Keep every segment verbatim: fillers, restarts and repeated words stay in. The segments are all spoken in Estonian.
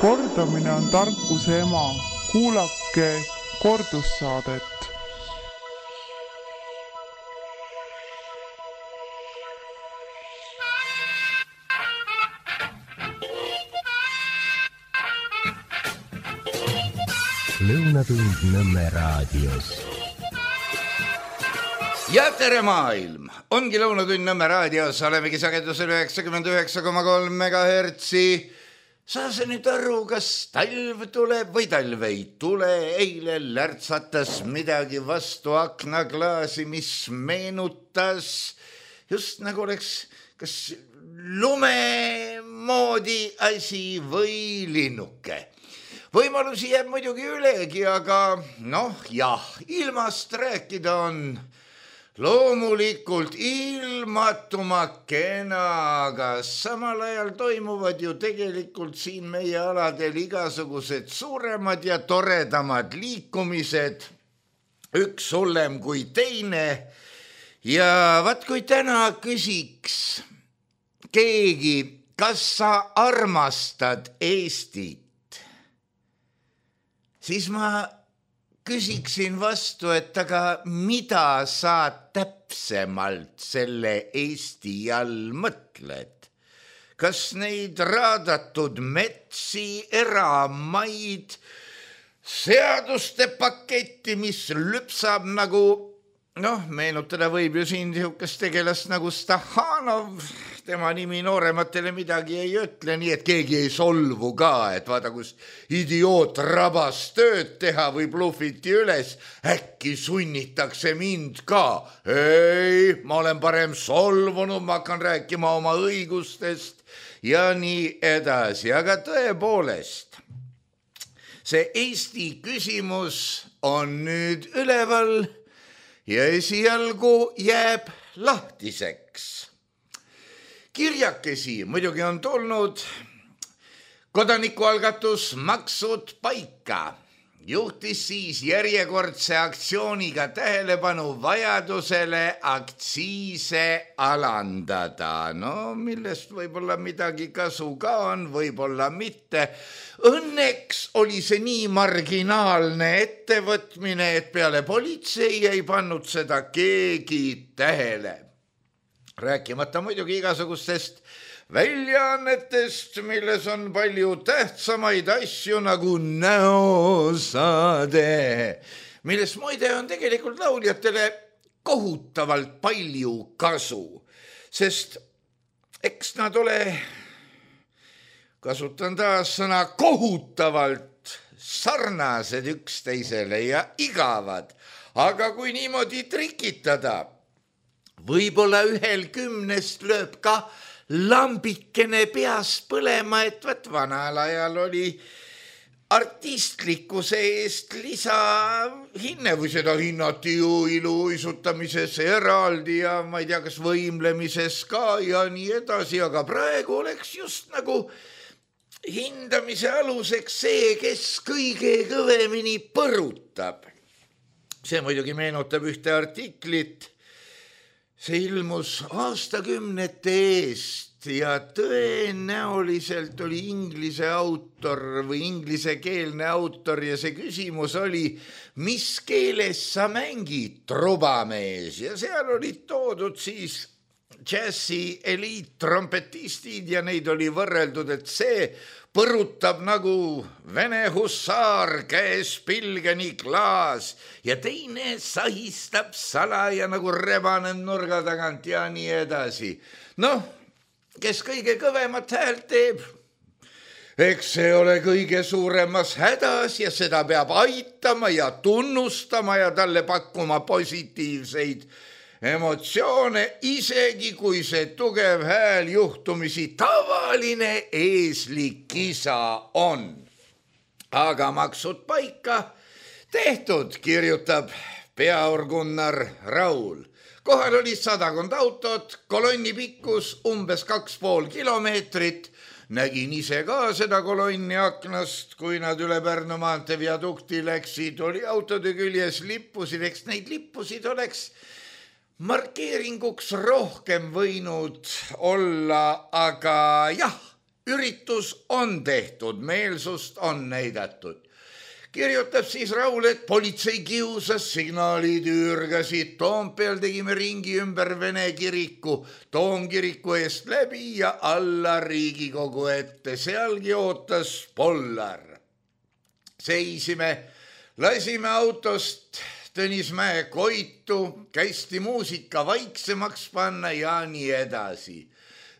Kordamine on tarkuse ema. Kuulake kordussaadet. Lõunatund Nõmme raadios. Ja tere maailm! Ongi Lõunatund Nõmme raadios, olemegi sagedusel üheksakümmend üheksa koma kolm megahertsi. Saa sa nüüd aru, kas talv tuleb või talv ei tule? Eile lärtsatas midagi vastu aknaklaasi, mis meenutas just nagu oleks kas lume moodi asi või linnuke. Võimalusi jääb muidugi ülegi, aga noh, jah, ilmast rääkida on loomulikult ilmatuma kena, aga samal ajal toimuvad ju tegelikult siin meie aladel igasugused suuremad ja toredamad liikumised, üks hullem kui teine. Ja vaat kui täna küsiks keegi, kas sa armastad Eestit? Siis ma küsiksin vastu, et aga mida sa täpsemalt selle Eesti all mõtled? Kas neid raadatud metsi, eramaid, seaduste paketti, mis lüpsab nagu, noh, meenutada võib ju siin sihukest tegelast nagu Stahanov, tema nimi noorematele midagi ei ütle, nii et keegi ei solvu ka, et vaata, kus idioot rabas tööd teha või bluffiti üles, äkki sunnitakse mind ka. Ei, ma olen parem solvunud, ma hakkan rääkima oma õigustest ja nii edasi, aga tõepoolest, see Eesti küsimus on nüüd üleval ja esialgu jääb lahtiseks. Kirjakesi muidugi on tulnud kodanikualgatus Maksud paika. Juhtis siis järjekordse aktsiooniga tähelepanu vajadusele aktsiise alandada. No millest võib-olla midagi kasu ka on, võib-olla mitte. Õnneks oli see nii marginaalne ettevõtmine, et peale politsei ei pannud seda keegi tähele. Rääkimata muidugi igasugustest väljaannetest, milles on palju tähtsamaid asju nagu näosaade, milles muide on tegelikult lauljatele kohutavalt palju kasu, sest eks nad ole, kasutan taas sõna, kohutavalt sarnased üksteisele ja igavad, aga kui niimoodi trikitada, võib-olla ühel kümnest lööb ka lambikene peas põlema, et võt vanal ajal oli artistlikkuse eest lisahinne või seda hinnati ju iluisutamises eraldi ja ma ei tea, kas võimlemises ka ja nii edasi, aga praegu oleks just nagu hindamise aluseks see, kes kõige kõvemini põrutab. See muidugi meenutab ühte artiklit. See ilmus aastakümnete eest ja tõenäoliselt oli inglise autor või inglisekeelne autor ja see küsimus oli, mis keeles sa mängid, trubamees, ja seal olid toodud siis džässi eliittrompetistid ja neid oli võrreldud, et see põrutab nagu Vene hussaar, käes pilgeni klaas ja teine sahistab salaja nagu rebane nurga tagant ja nii edasi. Noh, kes kõige kõvemat häält teeb, eks see ole kõige suuremas hädas ja seda peab aitama ja tunnustama ja talle pakkuma positiivseid emotsioone, isegi kui see tugev hääl juhtumisi tavaline eeslik kisa on. Aga maksud paika tehtud, kirjutab peaorgunnar Raul. Kohal oli sadakond autot, kolonni pikkus umbes kaks pool kilomeetrit. Nägin ise ka seda kolonni aknast, kui nad üle Pärnu maantee viadukti läksid, oli autode küljes lippusid, eks neid lippusid oleks markeeringuks rohkem võinud olla, aga jah, üritus on tehtud, meelsust on näidatud. Kirjutab siis Raul, et politsei kiusas, signaalid üürgasid, Toompeal tegime ringi ümber Vene kiriku, Toomkiriku eest läbi ja alla Riigikogu ette, sealgi ootas Pollar. Seisime, lasime autost Tõnismäe Koitu, käisti muusika vaiksemaks panna ja nii edasi.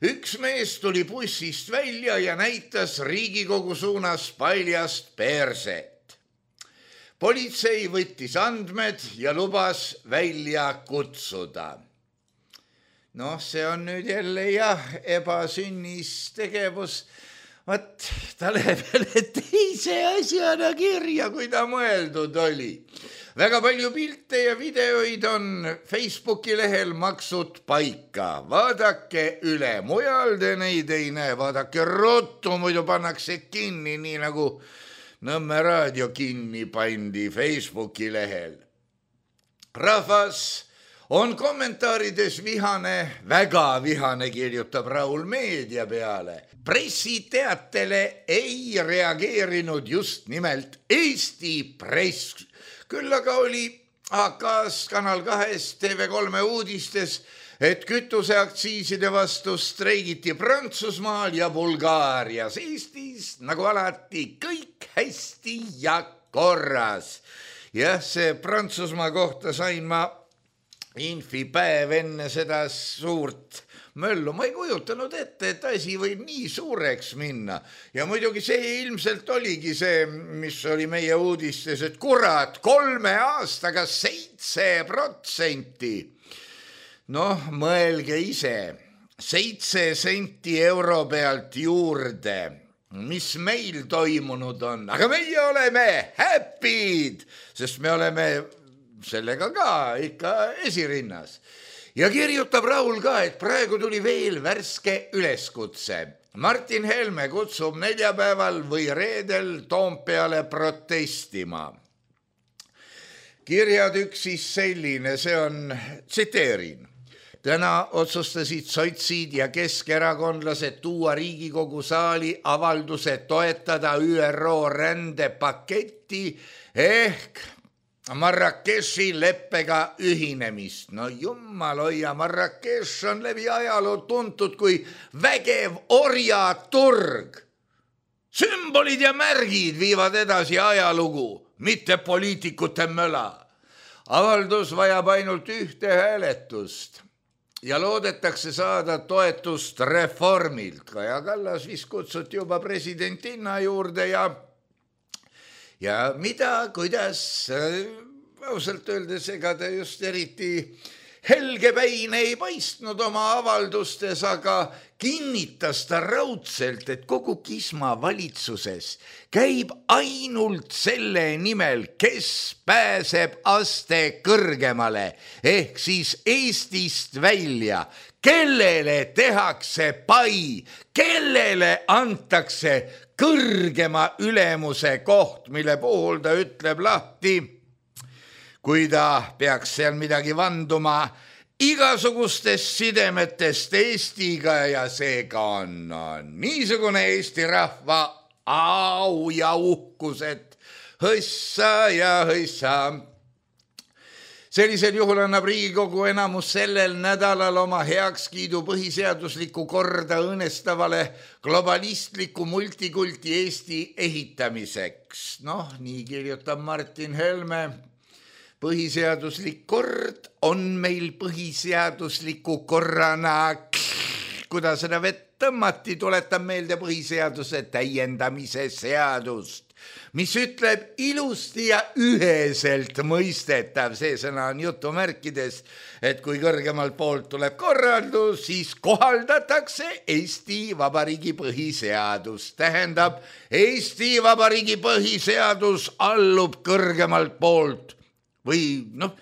Üks mees tuli bussist välja ja näitas Riigikogu suunas paljast perset. Politsei võttis andmed ja lubas välja kutsuda. Noh, see on nüüd jälle jah, ebasünnis tegevus. Vat, ta läheb jälle teise asjana kirja, kui ta mõeldud oli. Väga palju pilte ja videoid on Facebooki lehel maksud paika. Vaadake üle, mujal te neid ei näe, vaadake ruttu, muidu pannakse kinni, nii nagu Nõmme raadio kinni pandi Facebooki lehel. Rahvas on kommentaarides vihane, väga vihane, kirjutab Raul Meedia peale. Pressiteatele ei reageerinud just nimelt Eesti press. Küll aga oli A K-s Kanal kahes T V kolme uudistes, et kütuseaktsiiside vastu streigiti Prantsusmaal ja Bulgaarias. Eestis, nagu alati, kõik hästi ja korras. Jah, see Prantsusmaa kohta sain ma infipäev enne seda suurt möllu. Ma ei kujutanud ette, et asi võib nii suureks minna. Ja muidugi see ilmselt oligi see, mis oli meie uudistes, et kurat, kolme aastaga seitse protsenti. Noh, mõelge ise, seitse senti euro pealt juurde, mis meil toimunud on. Aga meie oleme happy'd, sest me oleme sellega ka ikka esirinnas. Ja kirjutab Raul ka, et praegu tuli veel värske üleskutse. Martin Helme kutsub neljapäeval või reedel Toompeale protestima. Kirjad üks siis selline, see on, tsiteerin. Täna otsustasid sotsid ja keskerakondlased tuua Riigikogu saali avalduse toetada Ü R O rändepaketti ehk Marrakechi leppega ühinemist. No jummal hoia, Marrakech on läbi ajaloo tuntud kui vägev orjaturg. Sümbolid ja märgid viivad edasi ajalugu, mitte poliitikute möla. Avaldus vajab ainult ühte hääletust ja loodetakse saada toetust reformilt. Kaja Kallas vist kutsuti juba presidentinna juurde ja Ja mida, kuidas, ausalt öeldes, ega ta just eriti helgepäine ei paistnud oma avaldustes, aga kinnitas ta raudselt, et kogu Kisma valitsuses käib ainult selle nimel, kes pääseb aste kõrgemale, ehk siis Eestist välja, kellele tehakse pai, kellele antakse kõrgema ülemuse koht, mille puhul ta ütleb lahti, kui ta peaks seal midagi vanduma igasugustest sidemetest Eestiga ja seega on, on niisugune Eesti rahva au ja uhkus, et hõssa ja hõssa. Sellisel juhul annab Riigikogu enamus sellel nädalal oma heakskiidu põhiseadusliku korda õõnestavale globalistliku multikulti Eesti ehitamiseks. Noh, nii kirjutab Martin Helme. Põhiseaduslik kord on meil põhiseadusliku korrana, kuidas seda vett tõmmati, tuletab meelde põhiseaduse täiendamise seadust, mis ütleb ilusti ja üheselt mõistetav, see sõna on jutumärkides, et kui kõrgemalt poolt tuleb korraldus, siis kohaldatakse Eesti Vabariigi põhiseadus. Tähendab, Eesti Vabariigi põhiseadus allub kõrgemalt poolt või noh,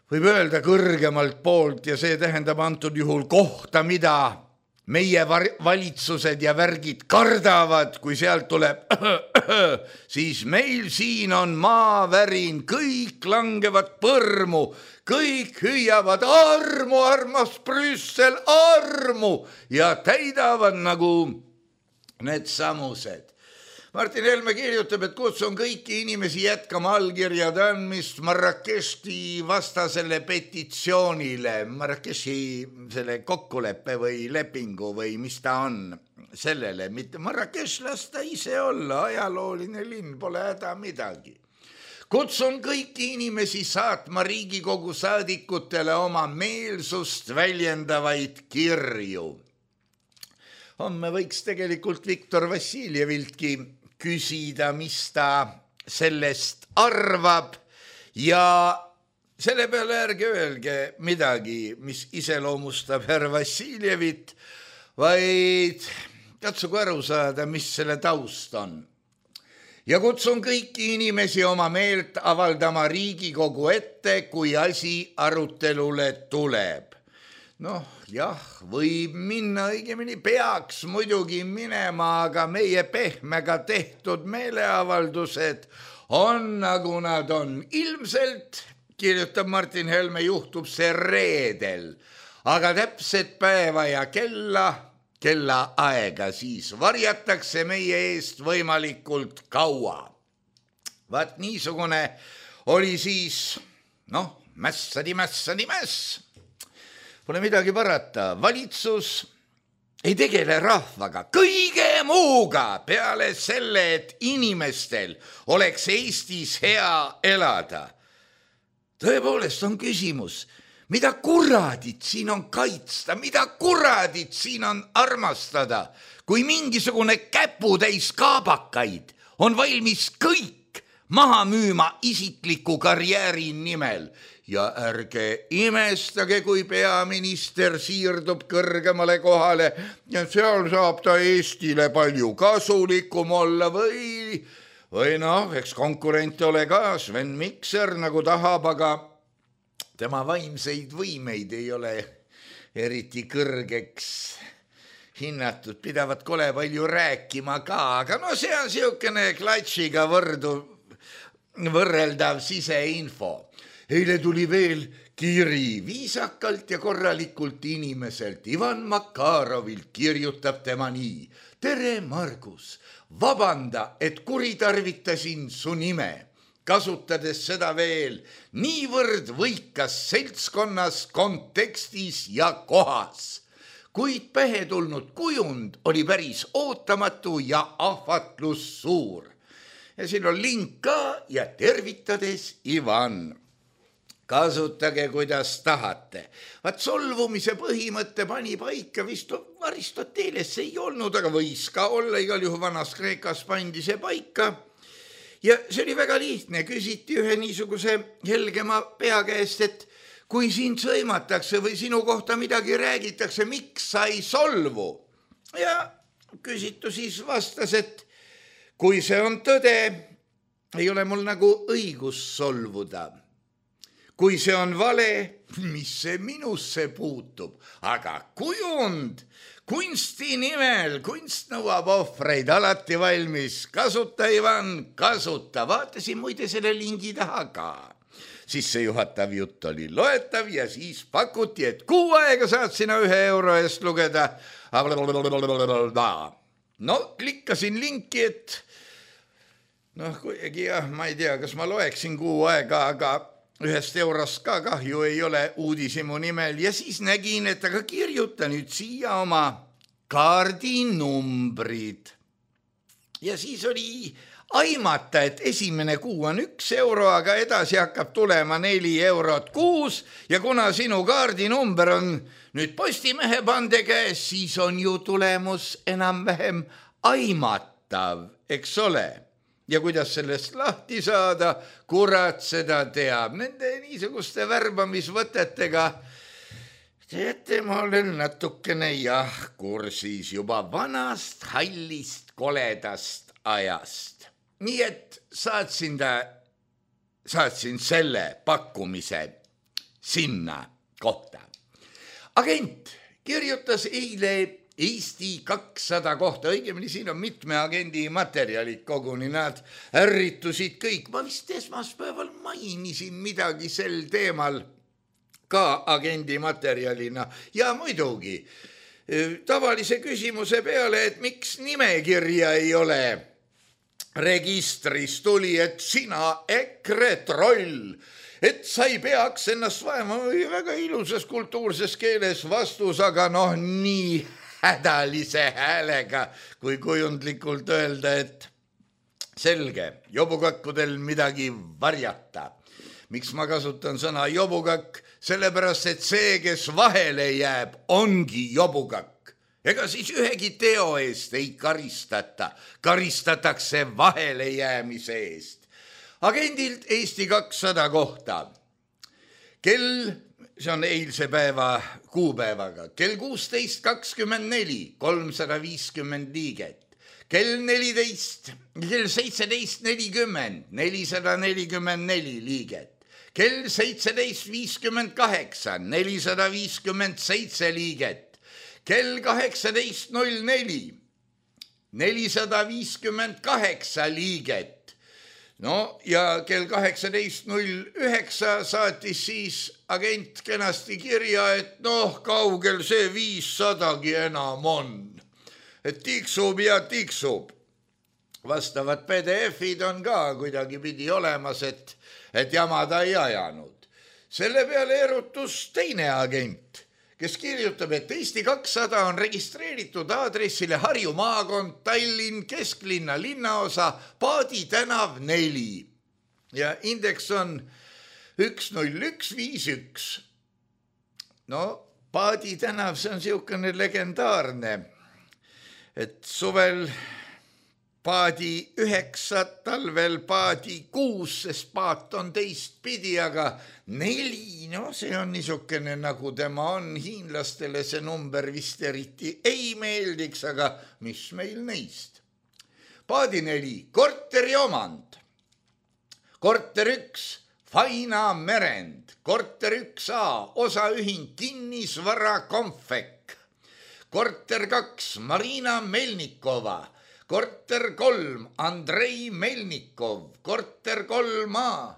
võib öelda kõrgemalt poolt ja see tähendab antud juhul kohta, mida meie valitsused ja värgid kardavad, kui sealt tuleb, siis meil siin on maavärin, kõik langevad põrmu, kõik hüüavad armu, armas Brüssel, armu ja täidavad nagu need samused. Martin Helme kirjutab, et kutsun kõiki inimesi jätkama allkirjade andmist Marrakechi vastasele petitsioonile, Marrakechi selle kokkuleppe või lepingu või mis ta on sellele, mitte Marrakech lasta ise olla, ajalooline linn, pole häda midagi. Kutsun kõiki inimesi saatma Riigikogu saadikutele oma meelsust väljendavaid kirju. Homme võiks tegelikult Viktor Vassiljeviltki küsida, mis ta sellest arvab ja selle peale ärge öelge midagi, mis iseloomustab härra Vassiljevit, vaid katsugu aru saada, mis selle taust on. Ja kutsun kõiki inimesi oma meelt avaldama Riigikogu ette, kui asi arutelule tuleb. Noh, jah, võib minna, õigemini peaks muidugi minema, aga meie pehmega tehtud meeleavaldused on nagu nad on. Ilmselt, kirjutab Martin Helme, juhtub see reedel, aga täpset päeva ja kella, kella aega siis varjatakse meie eest võimalikult kaua. Vaat niisugune oli siis, noh, mässadi, mässadi, mäss. Pole midagi parata, valitsus ei tegele rahvaga, kõige muuga peale selle, et inimestel oleks Eestis hea elada. Tõepoolest on küsimus, mida kuradit siin on kaitsta, mida kuradit siin on armastada, kui mingisugune käputäis kaabakaid on valmis kõik maha müüma isikliku karjääri nimel. Ja ärge imestage, kui peaminister siirdub kõrgemale kohale ja seal saab ta Eestile palju kasulikum olla või, või noh, eks konkurent ole ka Sven Mikser nagu tahab, aga tema vaimseid võimeid ei ole eriti kõrgeks hinnatud, pidavat kole palju rääkima ka, aga no see on siukene klatšiga võrdu, võrreldav siseinfo. Eile tuli veel kiri viisakalt ja korralikult inimeselt. Ivan Makarovilt kirjutab tema nii. Tere, Margus, vabanda, et kuritarvitasin su nime, kasutades seda veel niivõrd võikas seltskonnas, kontekstis ja kohas. Kuid pähe tulnud kujund oli päris ootamatu ja ahvatlus suur. Ja siin on link ka ja tervitades Ivan. Kasutage, kuidas tahate. Vaat solvumise põhimõtte pani paika vist Aristoteles ei olnud, aga võis ka olla, igal juhul vanas Kreekas pandi see paika. Ja see oli väga lihtne, küsiti ühe niisuguse helgema pea käest, et kui sind sõimatakse või sinu kohta midagi räägitakse, miks sa ei solvu? Ja küsitu siis vastas, et kui see on tõde, ei ole mul nagu õigus solvuda. Kui see on vale, mis see minusse puutub, aga kujund, kunsti nimel, kunst nõuab ohvreid, alati valmis, kasuta Ivan, kasuta, vaatasin muide selle lingi taha ka. Sissejuhatav jutt oli loetav ja siis pakuti, et kuu aega saad sina ühe euro eest lugeda. No, klikkasin linki, et noh, kuigi jah, ma ei tea, kas ma loeksin kuu aega, aga ühest eurost ka kahju ei ole uudisimu nimel ja siis nägin, et aga kirjuta nüüd siia oma kaardinumbrid. Ja siis oli aimata, et esimene kuu on üks euro, aga edasi hakkab tulema neli eurot kuus ja kuna sinu kaardinumber on nüüd Postimehe pande käes, siis on ju tulemus enam-vähem aimatav, eks ole. Ja kuidas sellest lahti saada, kurat seda teab. Nende niisuguste värbamisvõtetega, teate, ma olen natukene jah kursis juba vanast, hallist, koledast ajast. Nii et saatsin, ta, saatsin selle pakkumise sinna kohta. Agent kirjutas eile Eesti kakssada kohta, õigemini siin on mitme agendi materjalid koguni, nad ärritusid kõik. Ma vist esmaspäeval mainisin midagi sel teemal ka agendi materjalina ja muidugi tavalise küsimuse peale, et miks nimekirja ei ole registris, tuli, et sina EKRE troll, et sa ei peaks ennast vaema, väga ilusas kultuurses keeles vastus, aga noh, nii hädalise häälega, kui kujundlikult öelda, et selge, jobukakkudel midagi varjata. Miks ma kasutan sõna jobukakk? Sellepärast, et see, kes vahele jääb, ongi jobukakk. Ega siis ühegi teo eest ei karistata, karistatakse vahele jäämise eest. Agendilt Eesti kakssada kohta. Kell, see on eilse päeva kuupäevaga, kell kuusteist kakskümmend neli, kolmsada viiskümmend liiget. Kell neliteist, kell seitseteist nelikümmend, nelisada nelikümmend neli liiget. Kell seitseteist viiskümmend kaheksa, nelisada viiskümmend seitse liiget. Kell kaheksateist null neli, nelisada viiskümmend kaheksa liiget. No ja kell kaheksateist null üheksa saatis siis agent kenasti kirja, et noh, kaugel see viissadagi enam on. Et tiksub ja tiksub. Vastavad P D F-id on ka kuidagi pidi olemas, et, et jamada ei ajanud. Selle peale erutus teine agent, kes kirjutab, et Eesti kakssada on registreeritud aadressile Harju maakond, Tallinn, kesklinna linnaosa, Paadi tänav neli. Ja indeks on üks null üks viis üks. No, Paadi tänav, see on siukene legendaarne. Et suvel paadi üheksa, talvel paadi kuus, sest paat on teist pidi, aga neli, no see on niisugune nagu tema on, hiinlastele see number vist eriti ei meeldiks, aga mis meil neist? Paadi neli, korteri omand, korter üks, Faina merend, korter üks A, osaühing kinnisvara Konfek, korter kaks, Marina Melnikova, korter kolm, Andrei Melnikov, korter kolm A,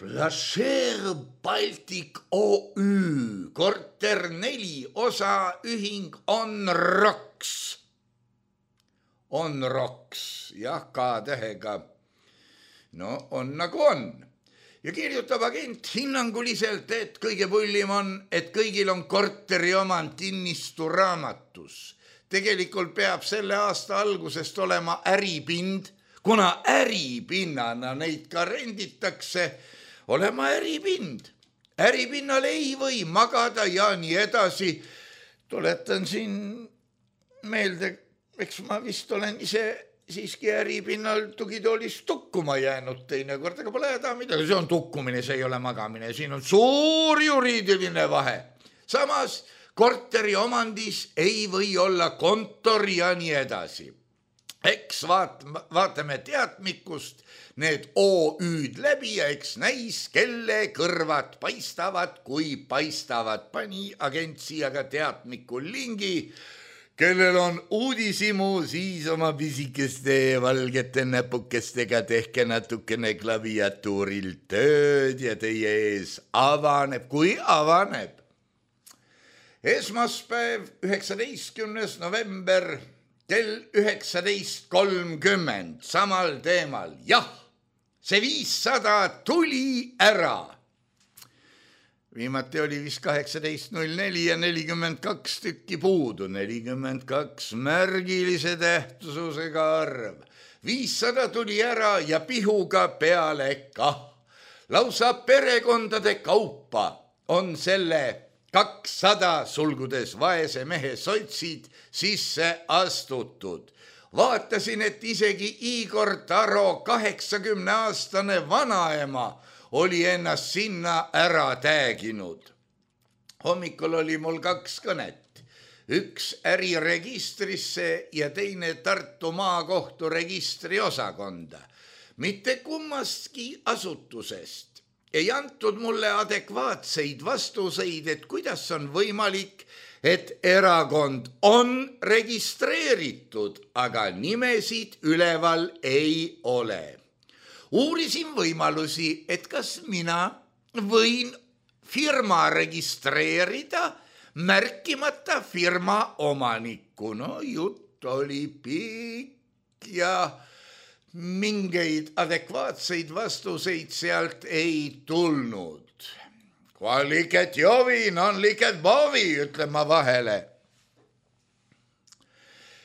Plašer Baltic O Ü, korter neli, osaühing On Rocks. On Rocks, jah, K-tähega. No on nagu on. Ja kirjutab agent hinnanguliselt, et kõige pullim on, et kõigil on korteri omand kinnistu raamatus. Tegelikult peab selle aasta algusest olema äripind, kuna äripinnana neid ka renditakse, olema äripind. Äripinnal ei või magada ja nii edasi. Tuletan siin meelde, eks ma vist olen ise siiski äripinnal tugitoolis tukkuma jäänud teine kord, aga pole häda midagi, see on tukkumine, see ei ole magamine, siin on suur juriidiline vahe. Samas korteri omandis ei või olla kontor ja nii edasi. Eks vaat, vaatame teatmikust need O Ü-d läbi ja eks näis, kelle kõrvad paistavad, kui paistavad. Pani agent siia ka teatmiku lingi, kellel on uudisimu, siis oma pisikeste valgete näpukestega tehke natukene klaviatuuril tööd ja teie ees avaneb, kui avaneb. Esmaspäev, üheksateistkümnes november, kell üheksateist kolmkümmend, samal teemal. Jah, see viissada tuli ära. Viimati oli vist kaheksateist null neli ja nelikümmend kaks tükki puudu, nelikümmend kaks märgilise tähtsusega arv. viissada tuli ära ja pihuga peale kah. Lausa perekondade kaupa on selle kakssada sulgudes vaese mehe sotsid sisse astutud. Vaatasin, et isegi Igor Taro kaheksakümne aastane vanaema oli ennast sinna ära tääginud. Hommikul oli mul kaks kõnet. Üks äriregistrisse ja teine Tartu maakohtu registri osakonda. Mitte kummastki asutusest ei antud mulle adekvaatseid vastuseid, et kuidas on võimalik, et erakond on registreeritud, aga nimesid üleval ei ole. Uurisin võimalusi, et kas mina võin firma registreerida märkimata firma omanikku. No jutt oli pikk ja mingeid adekvaatseid vastuseid sealt ei tulnud. Kui liket jovin, on liket bovi, ütlen ma vahele.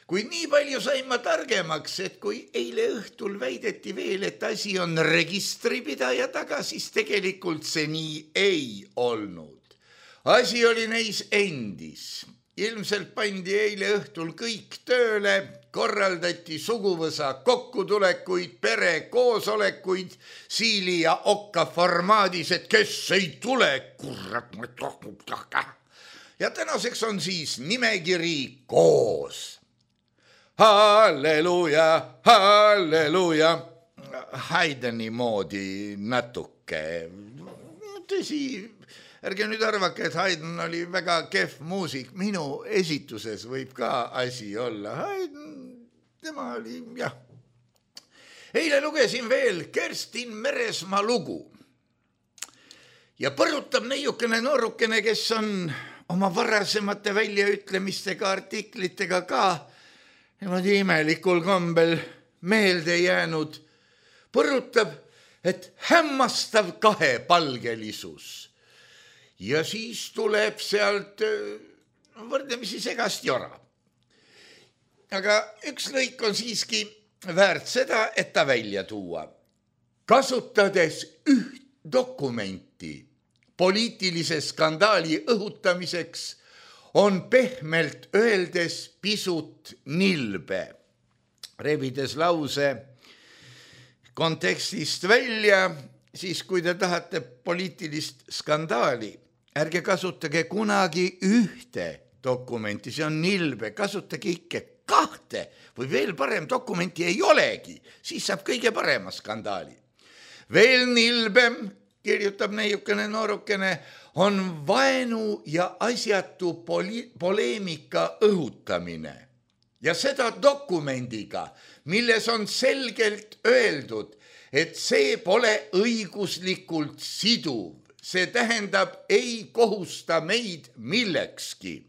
Kuid nii palju sain ma targemaks, et kui eile õhtul väideti veel, et asi on registripidaja taga, siis tegelikult see nii ei olnud. Asi oli neis endis. Ilmselt pandi eile õhtul kõik tööle, korraldati suguvõsa kokkutulekuid, pere koosolekuid, siili ja okka formaadis, et kes ei tule, kurat. Ja tänaseks on siis nimekiri koos. Halleluja, halleluja. Haydeni moodi natuke. Tõsi, ärge nüüd arvake, et Haydn oli väga kehv muusik. Minu esituses võib ka asi olla. Haydn, tema oli, jah. Eile lugesin veel Kerstin Meresmaa lugu. Ja põrutab neiukene noorukene, kes on oma varasemate väljaütlemistega, artiklitega ka niimoodi imelikul kombel meelde jäänud. Põrutab, et hämmastav kahepalgelisus. Ja siis tuleb sealt võrdlemisi segast jora. Aga üks lõik on siiski väärt seda, et ta välja tuua. Kasutades üht dokumenti poliitilise skandaali õhutamiseks on pehmelt öeldes pisut nilbe. Rebides lause kontekstist välja, siis kui te tahate poliitilist skandaali, ärge kasutage kunagi ühte dokumenti, see on nilbe, kasutage ikka kahte või veel parem dokumenti ei olegi, siis saab kõige parema skandaali. Veel nilbem, kirjutab neiukene noorukene, on vaenu ja asjatu poli- poleemika õhutamine. Ja seda dokumendiga, milles on selgelt öeldud, et see pole õiguslikult siduv. See tähendab, ei kohusta meid millekski.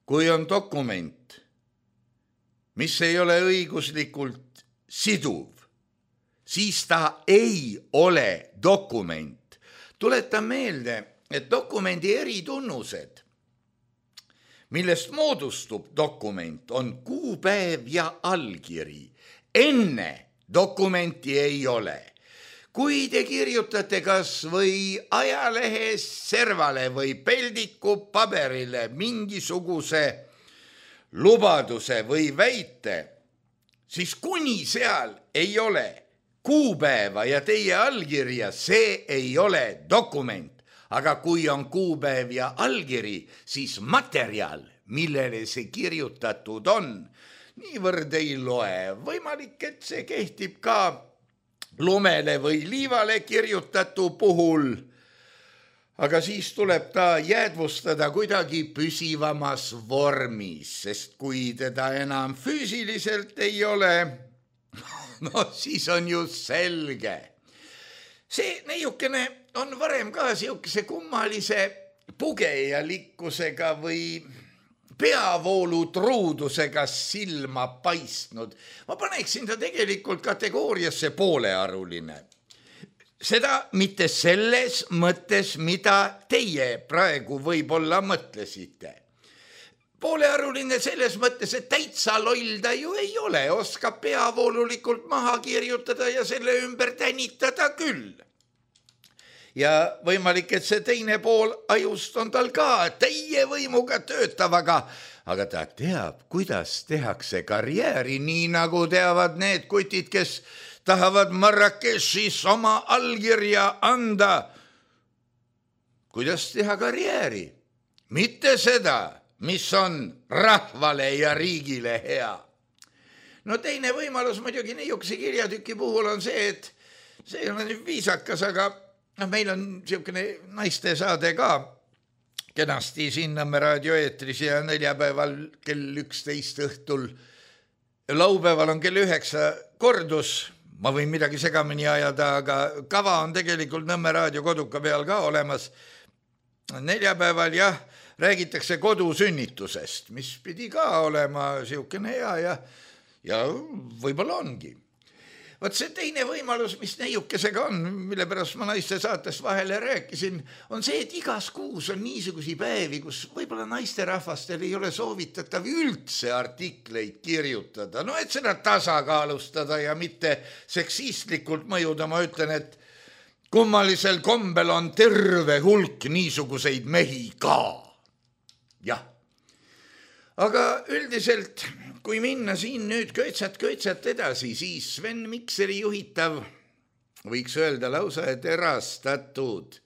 Kui on dokument, mis ei ole õiguslikult siduv, siis ta ei ole dokument. Tuleta meelde, et dokumendi eritunnused, millest moodustub dokument, on kuupäev ja allkiri. Enne dokumenti ei ole. Kui te kirjutate kas või ajalehes servale või peldiku paberile mingisuguse lubaduse või väite, siis kuni seal ei ole kuupäeva ja teie allkirja, see ei ole dokument. Aga kui on kuupäev ja allkiri, siis materjal, millele see kirjutatud on, niivõrd ei loe. Võimalik, et see kehtib ka lumele või liivale kirjutatu puhul, aga siis tuleb ta jäädvustada kuidagi püsivamas vormis, sest kui teda enam füüsiliselt ei ole, no siis on ju selge. See neiukene on varem ka siukese kummalise pugejalikkusega või peavoolutruudusega silma paistnud. Ma paneksin ta tegelikult kategooriasse poolearuline. Seda mitte selles mõttes, mida teie praegu võib-olla mõtlesite. Poolearuline selles mõttes, et täitsa loll ta ju ei ole, oskab peavoolulikult maha kirjutada ja selle ümber tänitada küll. Ja võimalik, et see teine pool ajust on tal ka teie võimuga töötavaga, aga ta teab, kuidas tehakse karjääri, nii nagu teavad need kutid, kes tahavad Marrakechis oma allkirja anda. Kuidas teha karjääri? Mitte seda, mis on rahvale ja riigile hea. No teine võimalus muidugi niisuguse kirjatüki puhul on see, et see ei ole nüüd viisakas, aga no, meil on niisugune naiste saade ka kenasti siin Nõmme raadioeetris ja neljapäeval kell üksteist õhtul. Laupäeval on kell üheksa kordus. Ma võin midagi segamini ajada, aga kava on tegelikult Nõmme raadio koduka peal ka olemas. neljapäeval jah, räägitakse kodusünnitusest, mis pidi ka olema siukene hea ja, ja võib-olla ongi. Vaat see teine võimalus, mis neiukesega on, mille pärast ma naiste saates vahele rääkisin, on see, et igas kuus on niisugusi päevi, kus võib-olla naisterahvastel ei ole soovitatav üldse artikleid kirjutada. No et seda tasakaalustada ja mitte seksistlikult mõjuda, ma ütlen, et kummalisel kombel on terve hulk niisuguseid mehi ka. Jah. Aga üldiselt, kui minna siin nüüd köitsat-köitsat edasi, siis Sven Mikseri juhitav, võiks öelda lausa, et erastatud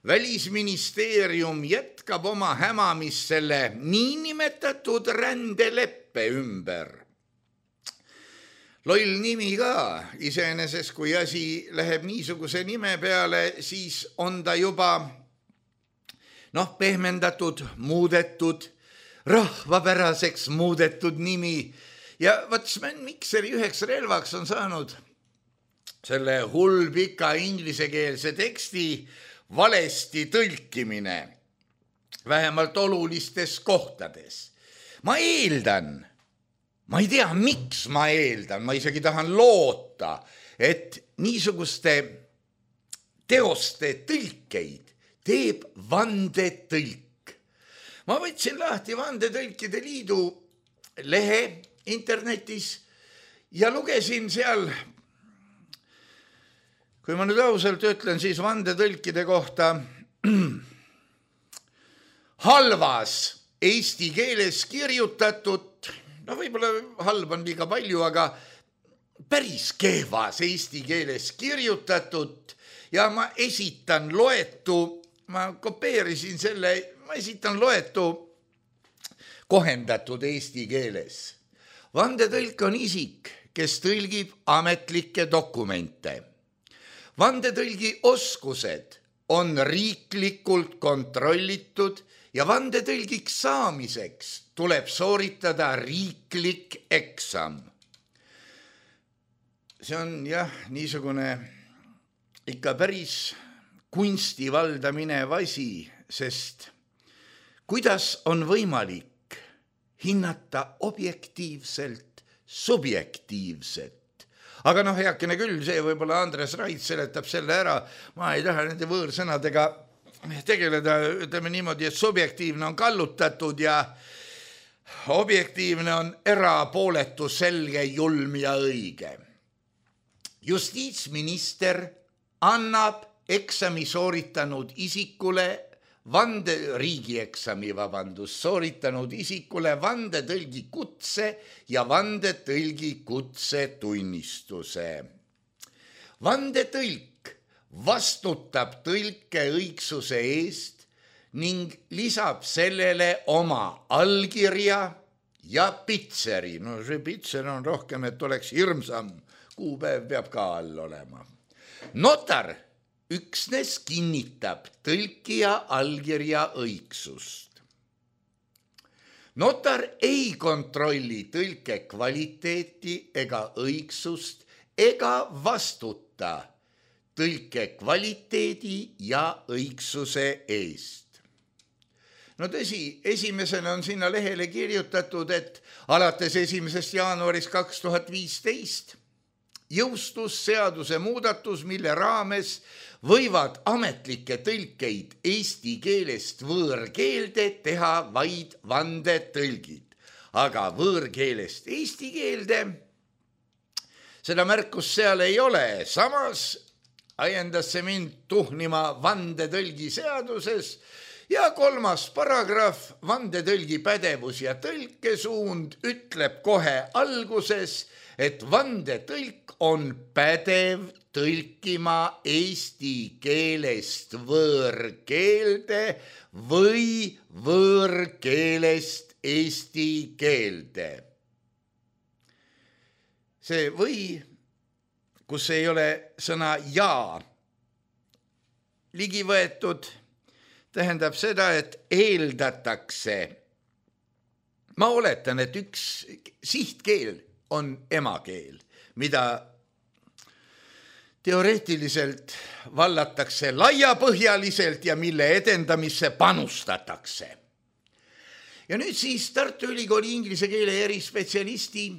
Välisministeerium jätkab oma hämamist selle niinimetatud rändeleppe ümber. Loll nimi ka, iseenesest kui asi läheb niisuguse nime peale, siis on ta juba noh, pehmendatud, muudetud, rahvapäraseks muudetud nimi ja vaat Sven Mikseri üheks relvaks on saanud selle hullpika inglisekeelse teksti valesti tõlkimine, vähemalt olulistes kohtades. Ma eeldan, ma ei tea, miks ma eeldan, ma isegi tahan loota, et niisuguste teoste tõlkeid teeb vandetõlk. Ma võtsin lahti Vandetõlkide Liidu lehe internetis ja lugesin seal, kui ma nüüd ausalt ütlen, siis vandetõlkide kohta halvas eesti keeles kirjutatud, no võib-olla halb on liiga palju, aga päris kehvas eesti keeles kirjutatud ja ma esitan loetu, ma kopeerisin selle, ma esitan loetu kohendatud eesti keeles. Vandetõlk on isik, kes tõlgib ametlikke dokumente. Vandetõlgi oskused on riiklikult kontrollitud ja vandetõlgiks saamiseks tuleb sooritada riiklik eksam. See on jah, niisugune ikka päris kunsti valda minev asi, sest kuidas on võimalik hinnata objektiivselt subjektiivset? Aga noh, heakene küll, see võib-olla Andres Rait seletab selle ära. Ma ei taha nende võõrsõnadega tegeleda, ütleme niimoodi, et subjektiivne on kallutatud ja objektiivne on erapooletu, selge, julm ja õige. Justiitsminister annab eksami sooritanud isikule Vande, riigieksami, vabandus, sooritanud isikule vandetõlgi kutse ja vandetõlgi kutse tunnistuse. Vandetõlk vastutab tõlke õigsuse eest ning lisab sellele oma allkirja ja pitseri. No see pitser on rohkem, et oleks hirmsam. Kuupäev peab ka all olema. Notar üksnes kinnitab tõlkija allkirja õigsust. Notar ei kontrolli tõlke kvaliteeti ega õigsust ega vastuta tõlke kvaliteedi ja õigsuse eest. No tõsi, esimesena on sinna lehele kirjutatud, et alates esimesest jaanuarist kaks tuhat viisteist jõustus seaduse muudatus, mille raames võivad ametlikke tõlkeid eesti keelest võõrkeelde teha vaid vandetõlgid. Aga võõrkeelest eesti keelde seda märkust seal ei ole. Samas ajendas see mind tuhnima vandetõlgi seaduses ja kolmas paragrahv, vandetõlgi pädevus ja tõlkesuund ütleb kohe alguses, et vandetõlk on pädev tõlkima eesti keelest võõrkeelde või võõrkeelest eesti keelde. See või, kus ei ole sõna ja ligi võetud, tähendab seda, et eeldatakse. Ma oletan, et üks sihtkeel on emakeel, mida teoreetiliselt vallatakse laiapõhjaliselt ja mille edendamisse panustatakse. Ja nüüd siis Tartu Ülikooli inglise keele erispetsialisti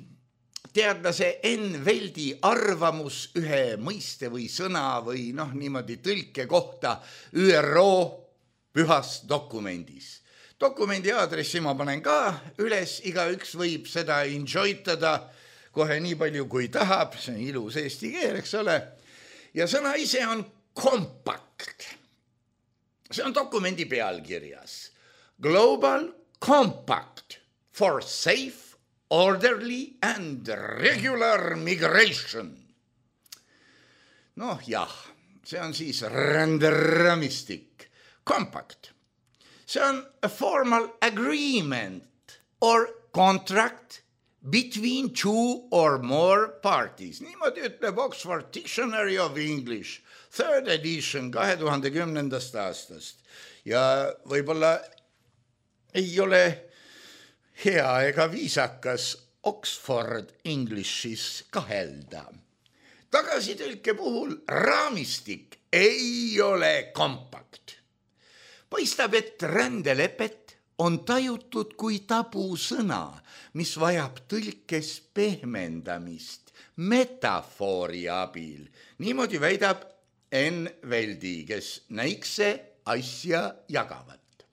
teadlase Enn Veldi arvamus ühe mõiste või sõna või noh, niimoodi tõlke kohta Ü R O pühas dokumendis. Dokumendi aadressi ma panen ka üles, igaüks võib seda enjoytada kohe nii palju kui tahab, see on ilus eesti keel, eks ole. Ja sõna ise on compact. See on dokumendi pealkirjas. Global Compact for Safe, Orderly and Regular Migration. Noh jah, see on siis ränderaamistik. Compact. See on a formal agreement or contract between two or more parties. Niimoodi ütleb Oxford Dictionary of English, third edition kahe tuhande kümnendast aastast. Ja võib-olla ei ole hea ega viisakas Oxford Englishis kahelda. Tagasitõlke puhul raamistik ei ole kompakt. Paistab, et rändelepet on tajutud kui tabusõna, mis vajab tõlkes pehmendamist metafoori abil. Niimoodi väidab Enn Veldi, kes näikse asja jagavat.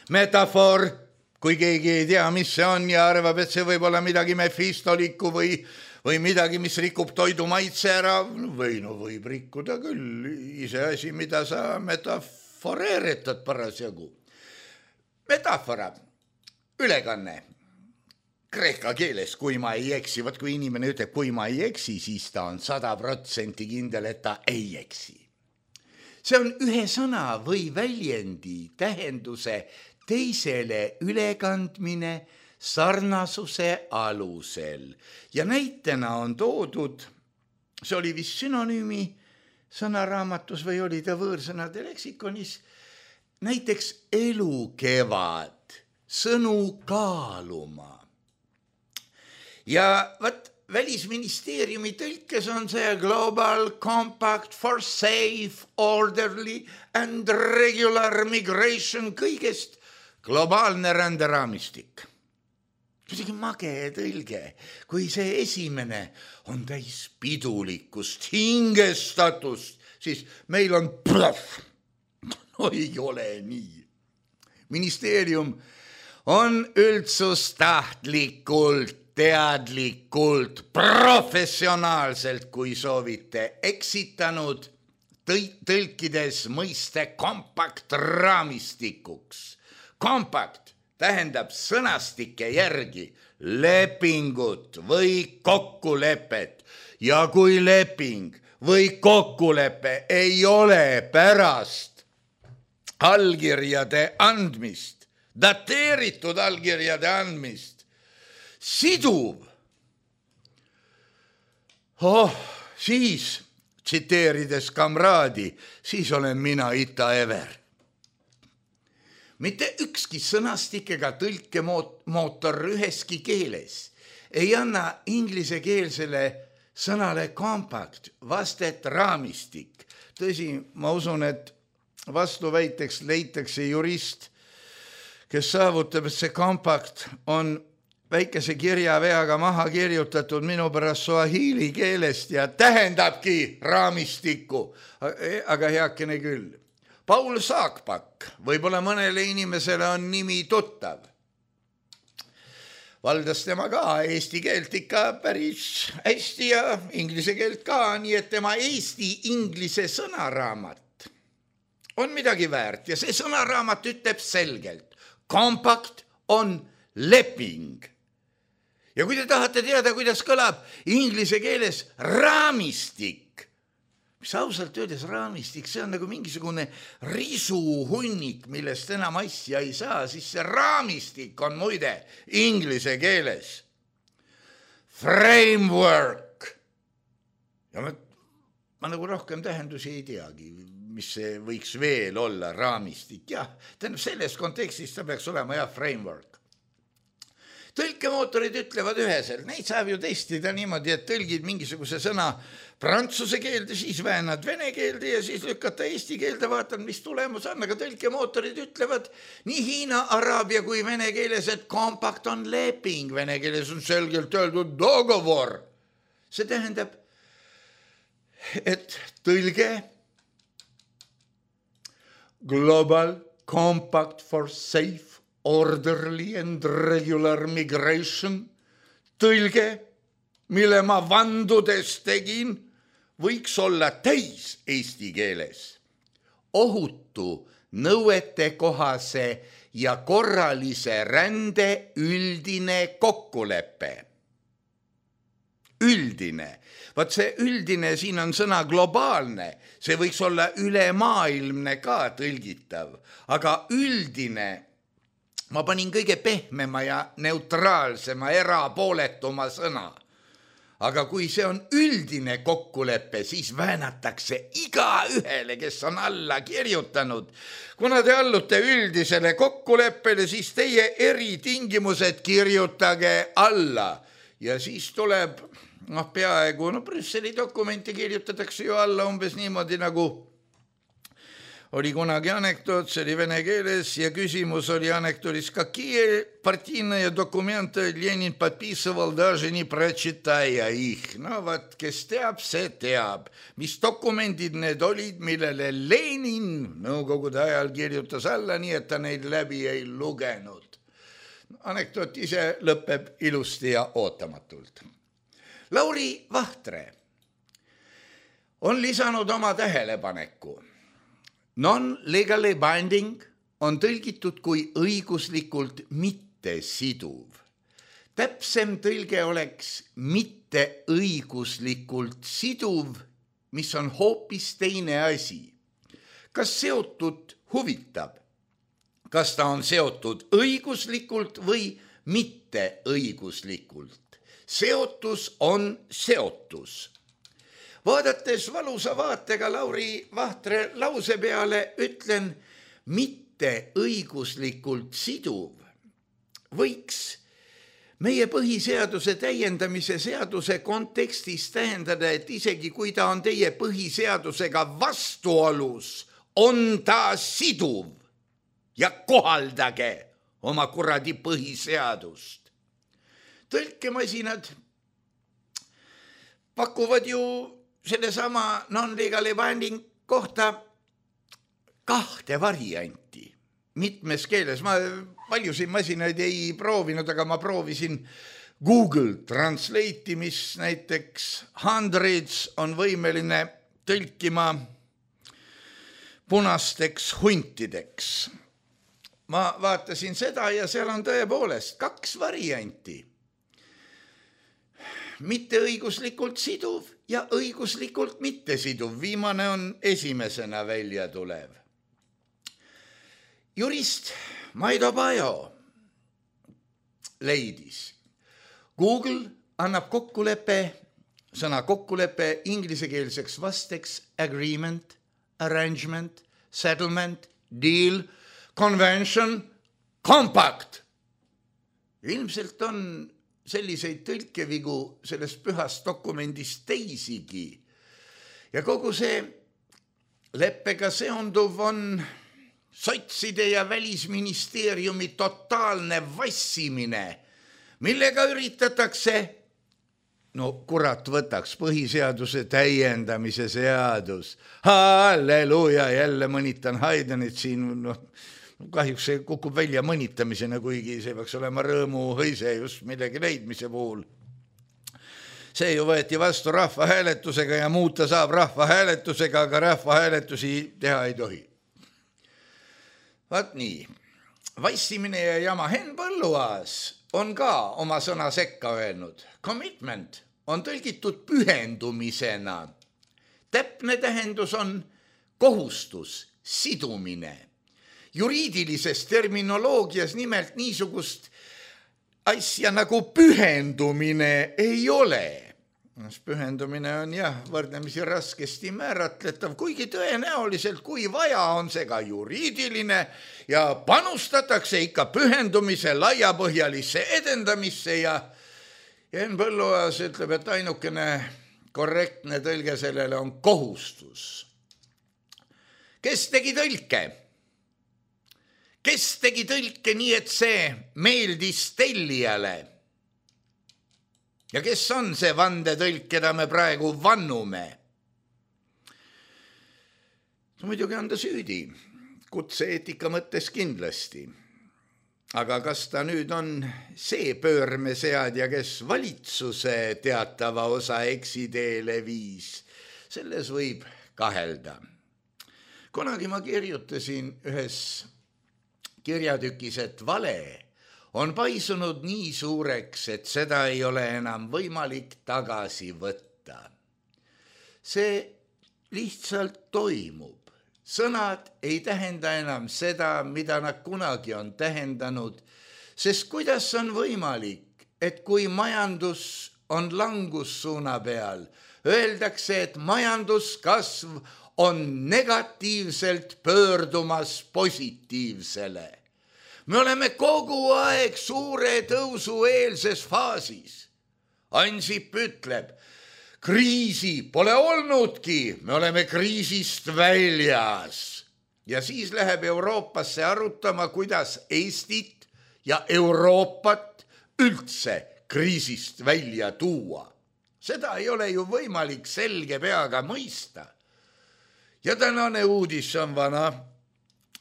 Metafoor, kui keegi ei tea, mis see on ja arvab, et see võib olla midagi mefistolikku või, või midagi, mis rikub toidu maitse ära, või no võib rikkuda küll ise asi, mida sa metaforeeritad parasjagu. Metafora, ülekanne, kreeka keeles, kui ma ei eksi, vaat kui inimene ütleb, kui ma ei eksi, siis ta on sada protsenti kindel, et ta ei eksi. See on ühe sõna või väljendi tähenduse teisele ülekandmine sarnasuse alusel. Ja näitena on toodud, see oli vist synonüümi sõnaraamatus või oli ta võõrsõnade leksikonis, näiteks elukevad, sõnu kaaluma. Ja võt, Välisministeeriumi tõlkes on see Global Compact for Safe, Orderly and Regular Migration kõigest globaalne ränderaamistik. Kuidagi mage tõlge, kui see esimene on täis pidulikkust, hingestatust, siis meil on plahv. No ei ole nii. Ministeerium on üldsustahtlikult, teadlikult, professionaalselt, kui soovite, eksitanud tõlkides mõiste kompakt raamistikuks. Kompakt tähendab sõnastike järgi lepingut või kokkulepet ja kui leping või kokkulepe ei ole pärast allkirjade andmist, dateeritud allkirjade andmist, siduv. Oh, siis, tsiteerides kamraadi, siis olen mina Ita Ever. Mitte ükski sõnastik ega tõlkemootor üheski keeles ei anna inglisekeelsele sõnale compact, vastet raamistik. Tõsi, ma usun, et vastuväiteks leitakse jurist, kes saavutab, et see compact on väikese kirjaveaga maha kirjutatud minu pärast suahiili keelest ja tähendabki raamistikku, aga heakene küll. Paul Saakpak, võib-olla mõnele inimesele on nimi tuttav. Valdas tema ka eesti keelt ikka päris hästi ja inglise keelt ka, nii et tema eesti-inglise sõnaraamat on midagi väärt ja see sõnaraamat ütleb selgelt, kompakt on leping. Ja kui te tahate teada, kuidas kõlab inglise keeles raamistik, mis ausalt öeldes raamistik, see on nagu mingisugune risuhunnik, millest enam asja ei saa, siis see raamistik on muide inglise keeles. Framework. Ja ma, ma nagu rohkem tähendusi ei teagi, mis see võiks veel olla, raamistik. Jah, tähendab selles kontekstis ta peaks olema jah, framework. tõlkemootorid ütlevad üheselt, neid saab ju testida niimoodi, et tõlgid mingisuguse sõna prantsuse keelde, siis väänad vene keelde ja siis lükata eesti keelde, vaatad, mis tulemus on, aga tõlkemootorid ütlevad nii hiina, araabia kui vene keeles, et kompakt on leping, vene keeles on selgelt öeldud dogovor. See tähendab, et tõlge Global Compact for Safe Orderly and Regular Migration, tõlge, mille ma vandudes tegin, võiks olla täis eesti keeles. Ohutu, nõuetekohase ja korralise rände üldine kokkulepe. Üldine. Vaat see üldine, siin on sõna globaalne, see võiks olla ülemaailmne ka tõlgitav, aga üldine, ma panin kõige pehmema ja neutraalsema, erapooletuma sõna. Aga kui see on üldine kokkulepe, siis väänatakse iga ühele, kes on alla kirjutanud. Kuna te allute üldisele kokkuleppele, siis teie eritingimused kirjutage alla. Ja siis tuleb, noh peaaegu, no Brüsseli dokumenti kirjutatakse ju alla umbes niimoodi nagu oli kunagi anekdoot, see oli vene keeles ja küsimus oli anekdootis, какие партийные документы Lenin подписывал, даже не прочитая их. No vaat, kes teab, see teab. Mis dokumendid need olid, millele Lenin nõukogude ajal kirjutas alla, nii et ta neid läbi ei lugenud. Anekdoot ise lõpeb ilusti ja ootamatult. Lauri Vahtre on lisanud oma tähelepaneku. Non-legally binding on tõlgitud kui õiguslikult mitte siduv. Täpsem tõlge oleks mitte õiguslikult siduv, mis on hoopis teine asi. Kas seotud huvitab? Kas ta on seotud õiguslikult või mitte õiguslikult? Seotus on seotus. Vaadates valusa vaatega Lauri Vahtre lause peale ütlen mitte õiguslikult siduv. Võiks meie põhiseaduse täiendamise seaduse kontekstis tähendada, et isegi kui ta on teie põhiseadusega vastuolus, on ta siduv ja kohaldage oma kuradi põhiseadust. Tõlkemasinad pakuvad ju selle sama non-legally binding kohta kahte varianti mitmes keeles. Ma paljusid masinaid ei proovinud, aga ma proovisin Google Translate'i, mis näiteks hundreds on võimeline tõlkima punasteks huntideks. Ma vaatasin seda ja seal on tõepoolest kaks varianti. Mitte õiguslikult siduv ja õiguslikult mitte siduv. Viimane on esimesena välja tulev. Jurist Maido Pajo leidis. Google annab kokkulepe, sõna kokkulepe inglisekeelseks vasteks agreement, arrangement, settlement, deal, convention, compact. Ilmselt on selliseid tõlkevigu sellest pühast dokumendist teisigi. Ja kogu see leppega seonduv on sotside ja välisministeeriumi totaalne vassimine, millega üritatakse, no kurat võtaks põhiseaduse täiendamise seadus. Halleluja, jälle mõnitan Heidenit siin, noh, kahjuks see kukub välja mõnitamisena, kuigi see peaks olema rõõmu hõise just millegi leidmise puhul. See ju võeti vastu rahvahääletusega ja muuta saab rahvahääletusega, aga rahvahääletusi teha ei tohi. Vaat nii, vassimine ja jama. Henn Põlluaas on ka oma sõna sekka öelnud. Commitment on tõlgitud pühendumisena. Täpne tähendus on kohustus, sidumine. Juriidilises terminoloogias nimelt niisugust asja nagu pühendumine ei ole. pühendumine on jah võrdlemisi raskesti määratletav, kuigi tõenäoliselt, kui vaja, on see ka juriidiline ja panustatakse ikka pühendumise laiapõhjalisse edendamisse ja Henn Põlluaas ütleb, et ainukene korrektne tõlge sellele on kohustus. Kes tegi tõlke? Kes tegi tõlke nii, et see meeldis tellijale? Ja kes on see vandetõlk, keda me praegu vannume? Muidugi on ta süüdi, kutse-eetika mõttes kindlasti. Aga kas ta nüüd on see pöörmeseadja, kes valitsuse teatava osa eksiteele viis? Selles võib kahelda. Kunagi ma kirjutasin ühes kirjatükis, et vale on paisunud nii suureks, et seda ei ole enam võimalik tagasi võtta. See lihtsalt toimub. Sõnad ei tähenda enam seda, mida nad kunagi on tähendanud, sest kuidas on võimalik, et kui majandus on langussuuna peal, öeldakse, et majanduskasv on negatiivselt pöördumas positiivsele. Me oleme kogu aeg suure tõusu eelses faasis. Ansip ütleb, kriisi pole olnudki, me oleme kriisist väljas. Ja siis läheb Euroopasse arutama, kuidas Eestit ja Euroopat üldse kriisist välja tuua. Seda ei ole ju võimalik selge peaga mõista. Ja tänane uudis on vana,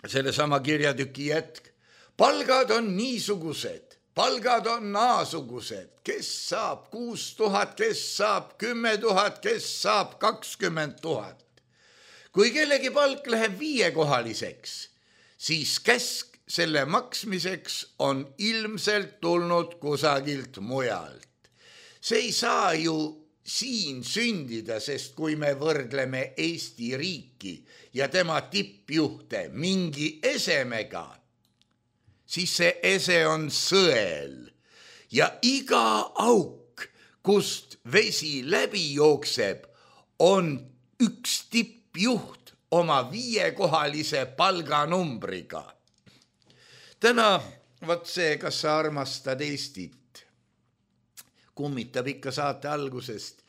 selle sama kirjatüki jätk. Palgad on niisugused. Palgad on naasugused, kes saab kuus tuhat, kes saab kümme tuhat, kes saab kakskümmend tuhat. Kui kellegi palk läheb viiekohaliseks, siis käsk selle maksmiseks on ilmselt tulnud kusagilt mujalt. See ei saa ju siin sündida, sest kui me võrdleme Eesti riiki ja tema tippjuhte mingi esemega, siis see ese on sõel ja iga auk, kust vesi läbi jookseb, on üks tippjuht oma viiekohalise palganumbriga. Täna, võt see, kas sa armastad Eestit, kummitab ikka saate algusest.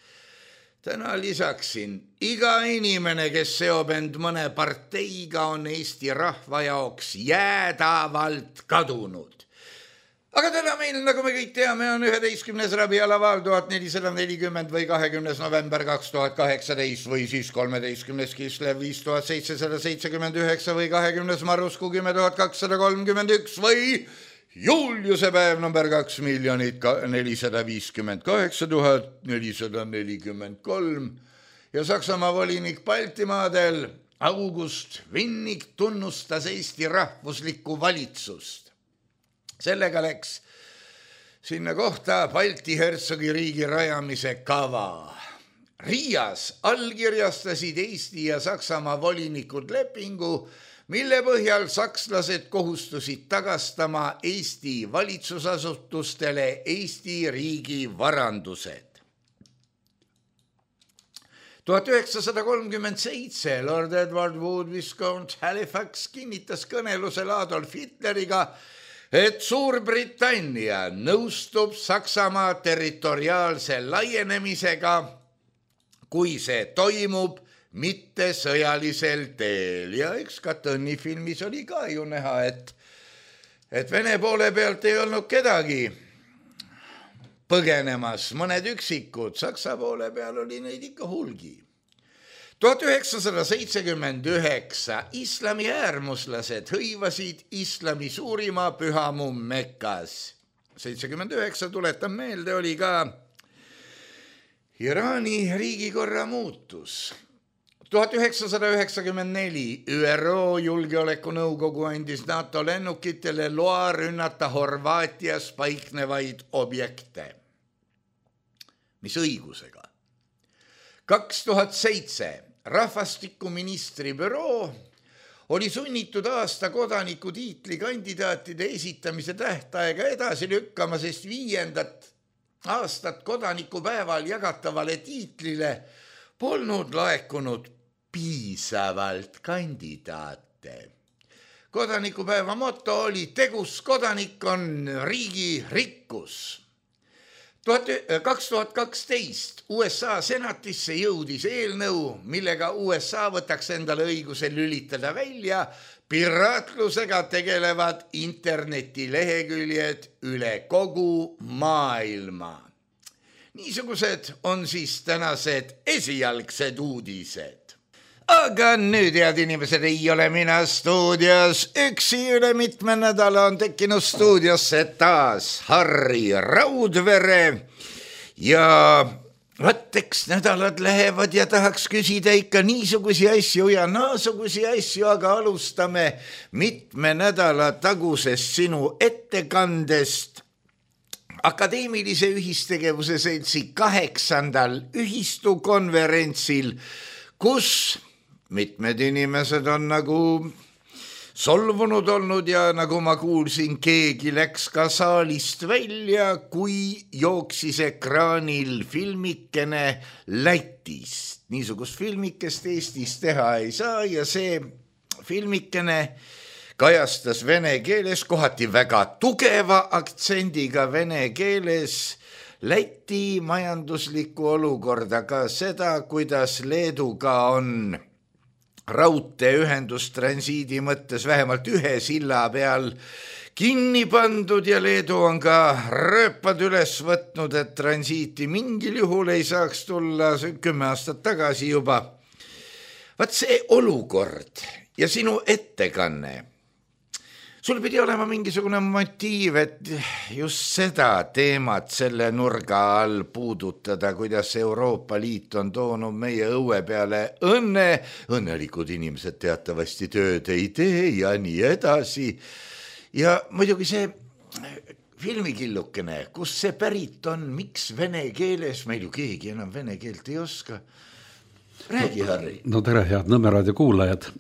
Täna lisaksin, iga inimene, kes seob end mõne parteiga, on Eesti rahva jaoks jäädavalt kadunud. Aga täna meil, nagu me kõik teame, on üheteistkümnes rabialaval tuhat nelisada nelikümmend või kahekümnes november kaks tuhat kaheksateist või siis kolmeteistkümnes Kislev viis tuhat seitsesada seitsekümmend üheksa või kahekümnes Marusku kümme tuhat kakssada kolmkümmend üks või Juliuse päev number kaks miljonit nelisada viiskümmend kaheksa tuhat nelisada nelikümmend kolm ja Saksamaa volinik Baltimaadel August Vinnik tunnustas Eesti rahvuslikku valitsust. Sellega läks sinna kohta Balti hertsogi riigi rajamise kava. Riias allkirjastasid Eesti ja Saksamaa volinikud lepingu, mille põhjal sakslased kohustusid tagastama Eesti valitsusasutustele Eesti riigi varandused. tuhat üheksasada kolmkümmend seitse Lord Edward Wood Viscount Halifax kinnitas kõnelusel Adolf Hitleriga, et Suurbritannia nõustub Saksamaa territoriaalse laienemisega, kui see toimub mitte sõjalisel teel. Ja eks ka Tõnni filmis oli ka ju näha, et, et Vene poole pealt ei olnud kedagi põgenemas, mõned üksikud, Saksa poole peal oli neid ikka hulgi. tuhat üheksasada seitsekümmend üheksa islami äärmuslased hõivasid islami suurima pühamu Mekkas. seitsekümmend üheksa, tuletan meelde, oli ka Iraani riigikorra muutus. tuhat üheksasada üheksakümmend neli ÜRO Julgeolekunõukogu andis NATO lennukitele loa rünnata Horvaatias paiknevaid objekte. Mis õigusega? kaks tuhat seitse rahvastikuministri büroo oli sunnitud aasta kodaniku tiitli kandidaatide esitamise tähtaega edasi lükkama, sest viiendat aastat kodanikupäeval jagatavale tiitlile polnud laekunud piisavalt kandidaate. Kodanikupäeva moto oli tegus kodanik on riigi rikkus. kaks tuhat kaksteist U S A senatisse jõudis eelnõu, millega U S A võtaks endale õiguse lülitada välja piraatlusega tegelevad internetileheküljed üle kogu maailma. Niisugused on siis tänased esialgsed uudised. Aga nüüd, head inimesed, ei ole mina stuudios üksi, üle mitme nädala on tekkinud stuudiosse taas Harri Raudvere ja vaat eks nädalad lähevad ja tahaks küsida ikka niisugusi asju ja naasugusi asju, aga alustame mitme nädala tagusest sinu ettekandest Akadeemilise ühistegevuse seltsi kaheksandal ühistukonverentsil, kus mitmed inimesed on nagu solvunud olnud ja nagu ma kuulsin, keegi läks ka saalist välja, kui jooksis ekraanil filmikene Lätist. Niisugust filmikest Eestis teha ei saa ja see filmikene kajastas vene keeles, kohati väga tugeva aktsendiga vene keeles, Läti majanduslikku olukorda, ka seda, kuidas Leeduga on raudteeühendus transiidi mõttes vähemalt ühe silla peal kinni pandud ja Leedu on ka rööpad üles võtnud, et transiiti mingil juhul ei saaks tulla kümme aastat tagasi juba. Vaat see olukord ja sinu ettekanne, sul pidi olema mingisugune motiiv, et just seda teemat selle nurga all puudutada, kuidas Euroopa Liit on toonud meie õue peale õnne, õnnelikud inimesed teatavasti tööd ei tee ja nii edasi. Ja muidugi see filmikillukene, kus see pärit on, miks vene keeles, meil ju keegi enam vene keelt ei oska. Räägi, Harri. No tere, head Nõmmeraadio kuulajad.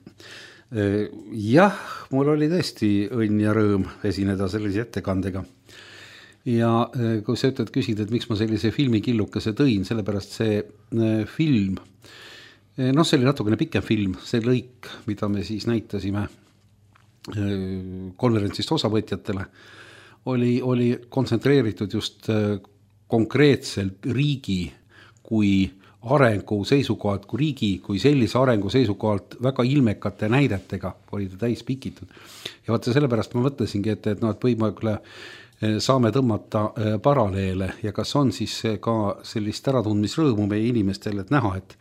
Jah, mul oli tõesti õnn ja rõõm esineda sellise ettekandega. Ja kui sa ütled küsid, et miks ma sellise filmikillukese tõin, sellepärast see film, noh, see oli natukene pikem film, see lõik, mida me siis näitasime konverentsist osavõtjatele, oli, oli kontsentreeritud just konkreetselt riigi kui arengu seisukohalt, kui riigi, kui sellise arengu seisukohalt väga ilmekate näidetega oli ta täis pikitud. Ja vaata sellepärast ma mõtlesingi, et, et, no, et võimalik saame tõmmata paralleele ja kas on siis ka sellist äratundmisrõõmu meie inimestel, et näha, et,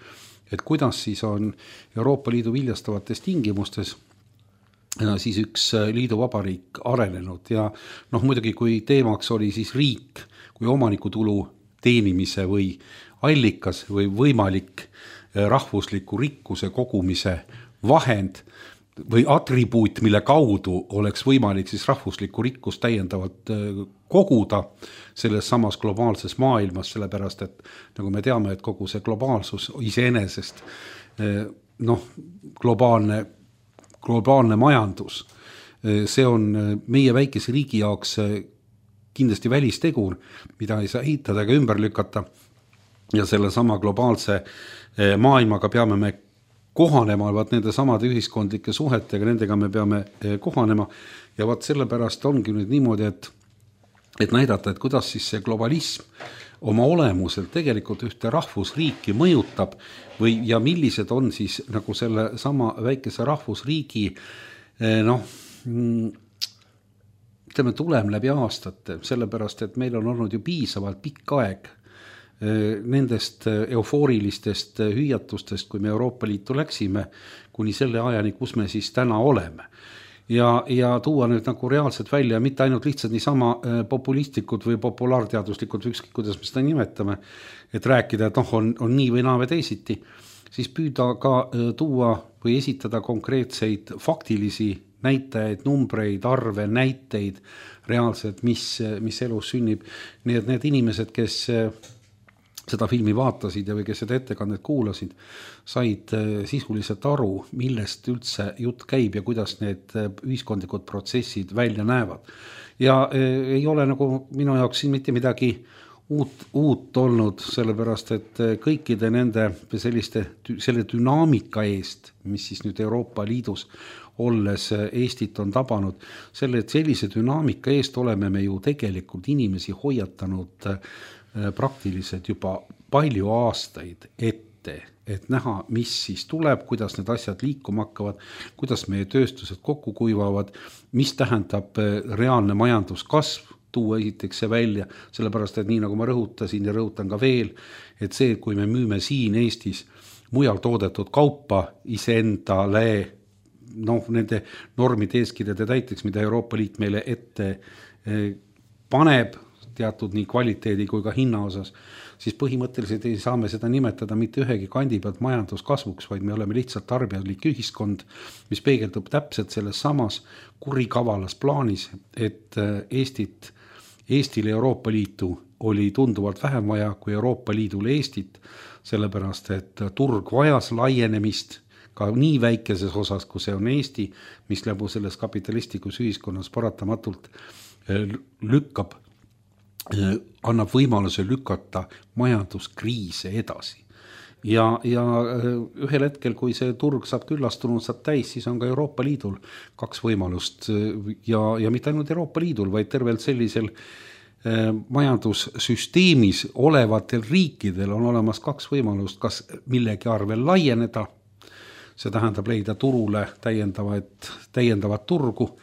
et kuidas siis on Euroopa Liidu viljastavates tingimustes siis üks liiduvabariik arenenud ja noh, muidugi kui teemaks oli siis riik kui omanikutulu teenimise või allikas või võimalik rahvusliku rikkuse kogumise vahend või atribuut, mille kaudu oleks võimalik siis rahvuslikku rikkust täiendavalt koguda selles samas globaalses maailmas, sellepärast et nagu me teame, et kogu see globaalsus iseenesest noh, globaalne, globaalne majandus, see on meie väikese riigi jaoks kindlasti välistegur, mida ei saa eitada ega ümber lükata. Ja selle sama globaalse maailmaga peame me kohanema, vaat nende samade ühiskondlike suhetega, nendega me peame kohanema ja vaat sellepärast ongi nüüd niimoodi, et, et näidata, et kuidas siis see globalism oma olemuselt tegelikult ühte rahvusriiki mõjutab või, ja millised on siis nagu selle sama väikese rahvusriigi noh, ütleme tulem läbi aastate, sellepärast, et meil on olnud ju piisavalt pikk aeg nendest eufoorilistest hüüatustest, kui me Euroopa Liitu läksime, kuni selle ajani, kus me siis täna oleme. Ja, ja tuua nüüd nagu reaalselt välja, mitte ainult lihtsalt niisama populistlikud või populaarteaduslikud, ükskõik kuidas me seda nimetame, et rääkida, et noh, on, on nii või naa või teisiti, siis püüda ka tuua või esitada konkreetseid faktilisi näitajaid, numbreid, arve, näiteid reaalselt, mis, mis elus sünnib. Nii et need inimesed, kes seda filmi vaatasid ja või kes seda ettekannet kuulasid, said sisuliselt aru, millest üldse jutt käib ja kuidas need ühiskondlikud protsessid välja näevad. Ja ei ole nagu minu jaoks siin mitte midagi uut, uut olnud, sellepärast et kõikide nende selliste, selle dünaamika eest, mis siis nüüd Euroopa Liidus olles Eestit on tabanud, selle, et sellise dünaamika eest oleme me ju tegelikult inimesi hoiatanud praktiliselt juba palju aastaid ette, et näha, mis siis tuleb, kuidas need asjad liikuma hakkavad, kuidas meie tööstused kokku kuivavad, mis tähendab reaalne majanduskasv, tuua esiteks see välja, sellepärast, et nii nagu ma rõhutasin ja rõhutan ka veel, et see, kui me müüme siin Eestis mujal toodetud kaupa iseendale, noh, nende normide eeskirjade täiteks, mida Euroopa Liit meile ette paneb, teatud nii kvaliteedi kui ka hinna osas, siis põhimõtteliselt ei saa me seda nimetada mitte ühegi kandi pealt majanduskasvuks, vaid me oleme lihtsalt tarbijalik ühiskond, mis peegeldub täpselt selles samas kurikavalas plaanis, et Eestit, Eestile Euroopa Liitu oli tunduvalt vähem vaja kui Euroopa Liidule Eestit, sellepärast et turg vajas laienemist ka nii väikeses osas, kui see on Eesti, mis läbi selles kapitalistlikus ühiskonnas paratamatult lükkab annab võimaluse lükata majanduskriise edasi. Ja, ja ühel hetkel, kui see turg saab küllastunud, saab täis, siis on ka Euroopa Liidul kaks võimalust ja, ja mitte ainult Euroopa Liidul, vaid tervelt sellisel majandussüsteemis olevatel riikidel on olemas kaks võimalust, kas millegi arvel laieneda, see tähendab leida turule täiendavat, täiendavat turgu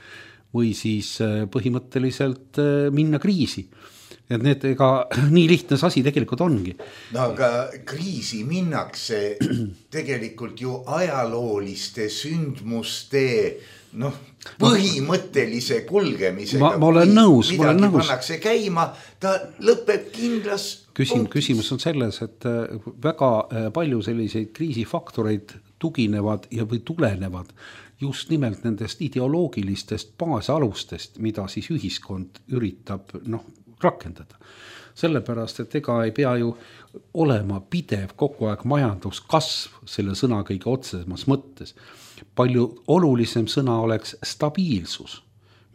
või siis põhimõtteliselt minna kriisi. Et need ega nii lihtne asi tegelikult ongi. No aga kriisi minnakse tegelikult ju ajalooliste sündmuste noh, põhimõttelise kulgemisega. Ma, ma olen nõus, ma olen nõus. Pannakse käima, ta lõpeb kindlas Küsim, küsimus on selles, et väga palju selliseid kriisifaktoreid tuginevad ja või tulenevad just nimelt nendest ideoloogilistest baasalustest, mida siis ühiskond üritab noh, rakendada. Sellepärast, et ega ei pea ju olema pidev kogu aeg majanduskasv selle sõna kõige otsemas mõttes. Palju olulisem sõna oleks stabiilsus,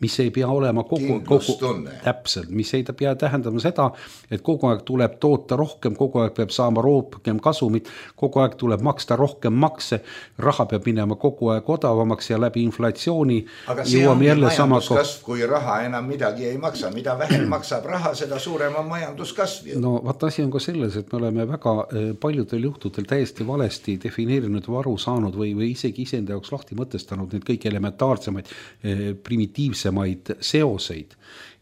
mis ei pea olema kogu, kogu täpselt, mis ei pea tähendama seda, et kogu aeg tuleb toota rohkem, kogu aeg peab saama rohkem kasumit, kogu aeg tuleb maksta rohkem makse, raha peab minema kogu aeg odavamaks ja läbi inflatsiooni. Aga see on majanduskasv, kui raha enam midagi ei maksa, mida vähem maksab raha, seda suurem on majanduskasv. No vaat asi on ka selles, et me oleme väga paljudel juhtudel täiesti valesti defineerinud või aru saanud või, või isegi iseenda jaoks lahti mõtestanud need kõik elementaarsemaid primitiivse maid seoseid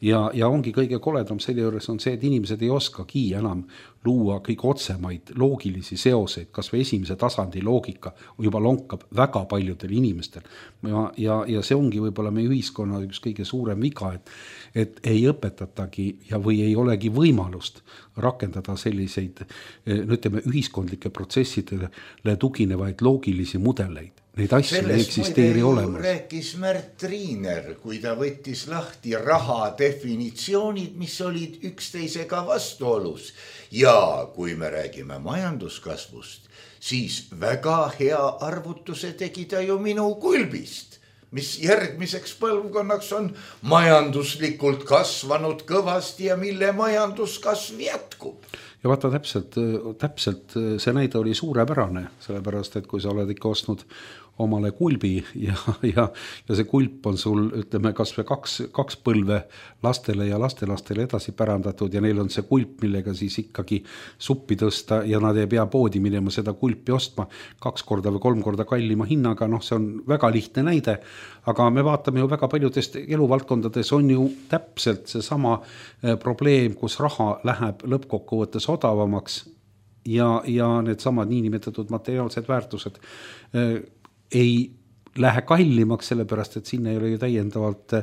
ja, ja ongi kõige koledam selle juures on see, et inimesed ei oskagi enam luua kõige otsemaid loogilisi seoseid, kas või esimese tasandi loogika juba lonkab väga paljudel inimestel ja, ja, ja see ongi võib-olla meie ühiskonna üks kõige suurem viga, et, et ei õpetatagi ja või ei olegi võimalust rakendada selliseid ütleme, ühiskondlike protsessidele tuginevaid loogilisi mudeleid. Neid asju ei eksisteeri olemas. Rääkis Märt Riiner, kui ta võttis lahti raha definitsioonid, mis olid üksteisega vastuolus. Ja kui me räägime majanduskasvust, siis väga hea arvutuse tegi ta ju minu kulbist, mis järgmiseks põlvkonnaks on majanduslikult kasvanud kõvasti ja mille majanduskasv jätkub. Ja vaata täpselt, täpselt see näide oli suurepärane, sellepärast, et kui sa oled ikka ostnud omale kulbi ja, ja, ja see kulp on sul, ütleme, kas või kaks, kaks põlve lastele ja lastelastele edasi pärandatud ja neil on see kulp, millega siis ikkagi suppi tõsta ja nad ei pea poodi minema seda kulpi ostma kaks korda või kolm korda kallima hinnaga, noh, see on väga lihtne näide, aga me vaatame ju väga paljudest eluvaldkondades on ju täpselt see sama probleem, kus raha läheb lõppkokkuvõttes odavamaks ja, ja need samad niinimetatud materiaalsed väärtused ei lähe kallimaks, sellepärast, et sinna ei ole ju täiendavalt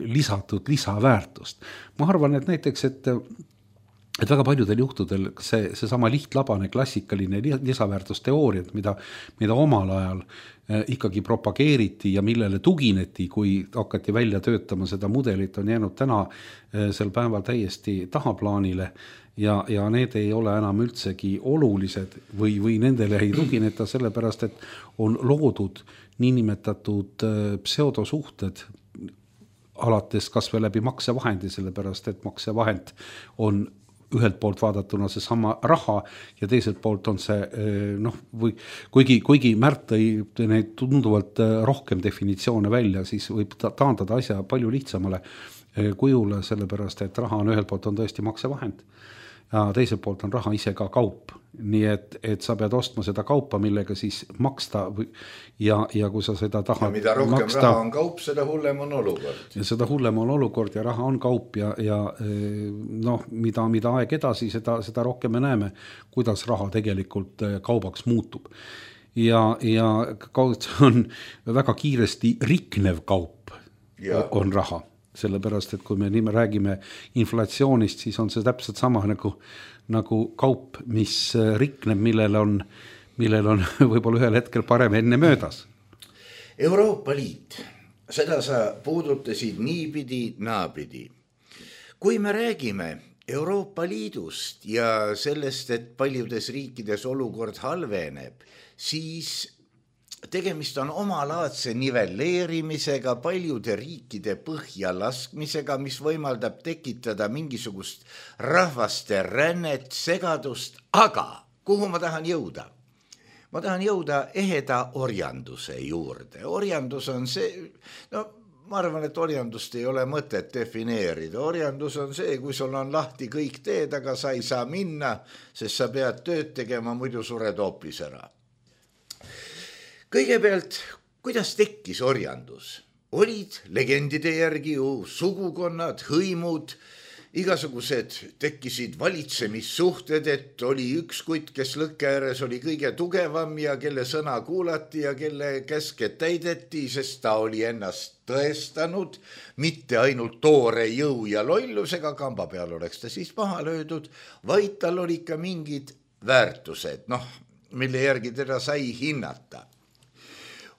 lisatud lisaväärtust. Ma arvan, et näiteks, et, et väga paljudel juhtudel see, see sama lihtlabane klassikaline lisaväärtusteooriat, mida, mida omal ajal ikkagi propageeriti ja millele tugineti, kui hakati välja töötama seda mudelit, on jäänud täna sel päeval täiesti tahaplaanile ja, ja need ei ole enam üldsegi olulised või, või nendele ei tugineta sellepärast, et on loodud niinimetatud pseudosuhted alates kas või läbi maksevahendi, sellepärast, et maksevahend on ühelt poolt vaadatuna see sama raha ja teiselt poolt on see noh, või kuigi, kuigi Märt tõi neid tunduvalt rohkem definitsioone välja, siis võib taandada asja palju lihtsamale kujule, sellepärast, et raha on ühelt poolt on tõesti maksevahend ja teiselt poolt on raha ise ka kaup. Nii et, et sa pead ostma seda kaupa, millega siis maksta ja, ja kui sa seda tahad ja mida rohkem maksta, raha on kaup, seda hullem on olukord. Ja seda hullem on olukord ja raha on kaup ja, ja noh, mida, mida aeg edasi, seda, seda rohkem me näeme, kuidas raha tegelikult kaubaks muutub. Ja, ja kaup on väga kiiresti riknev kaup ja. On raha. Sellepärast, et kui me nii me räägime inflatsioonist, siis on see täpselt sama nagu, nagu kaup, mis rikneb, millel on, millel on võib-olla ühel hetkel parem enne möödas. Euroopa Liit, seda sa puudutasid niipidi, naapidi. Kui me räägime Euroopa Liidust ja sellest, et paljudes riikides olukord halveneb, siis tegemist on omalaadse nivelleerimisega, paljude riikide põhja laskmisega, mis võimaldab tekitada mingisugust rahvaste rännet, segadust, aga kuhu ma tahan jõuda? Ma tahan jõuda eheda orjanduse juurde. Orjandus on see, no ma arvan, et orjandust ei ole mõtet defineerida. Orjandus on see, kui sul on lahti kõik teed, aga sa ei saa minna, sest sa pead tööd tegema, muidu sured hoopis ära. Kõigepealt, kuidas tekkis orjandus? Olid legendide järgi ju sugukonnad, hõimud, igasugused tekkisid valitsemissuhted, et oli üks kutt, kes lõkke ääres oli kõige tugevam ja kelle sõna kuulati ja kelle käske täideti, sest ta oli ennast tõestanud, mitte ainult toore jõu ja lollusega, kamba peal oleks ta siis maha löödud, vaid tal oli ka mingid väärtused, noh, mille järgi teda sai hinnata.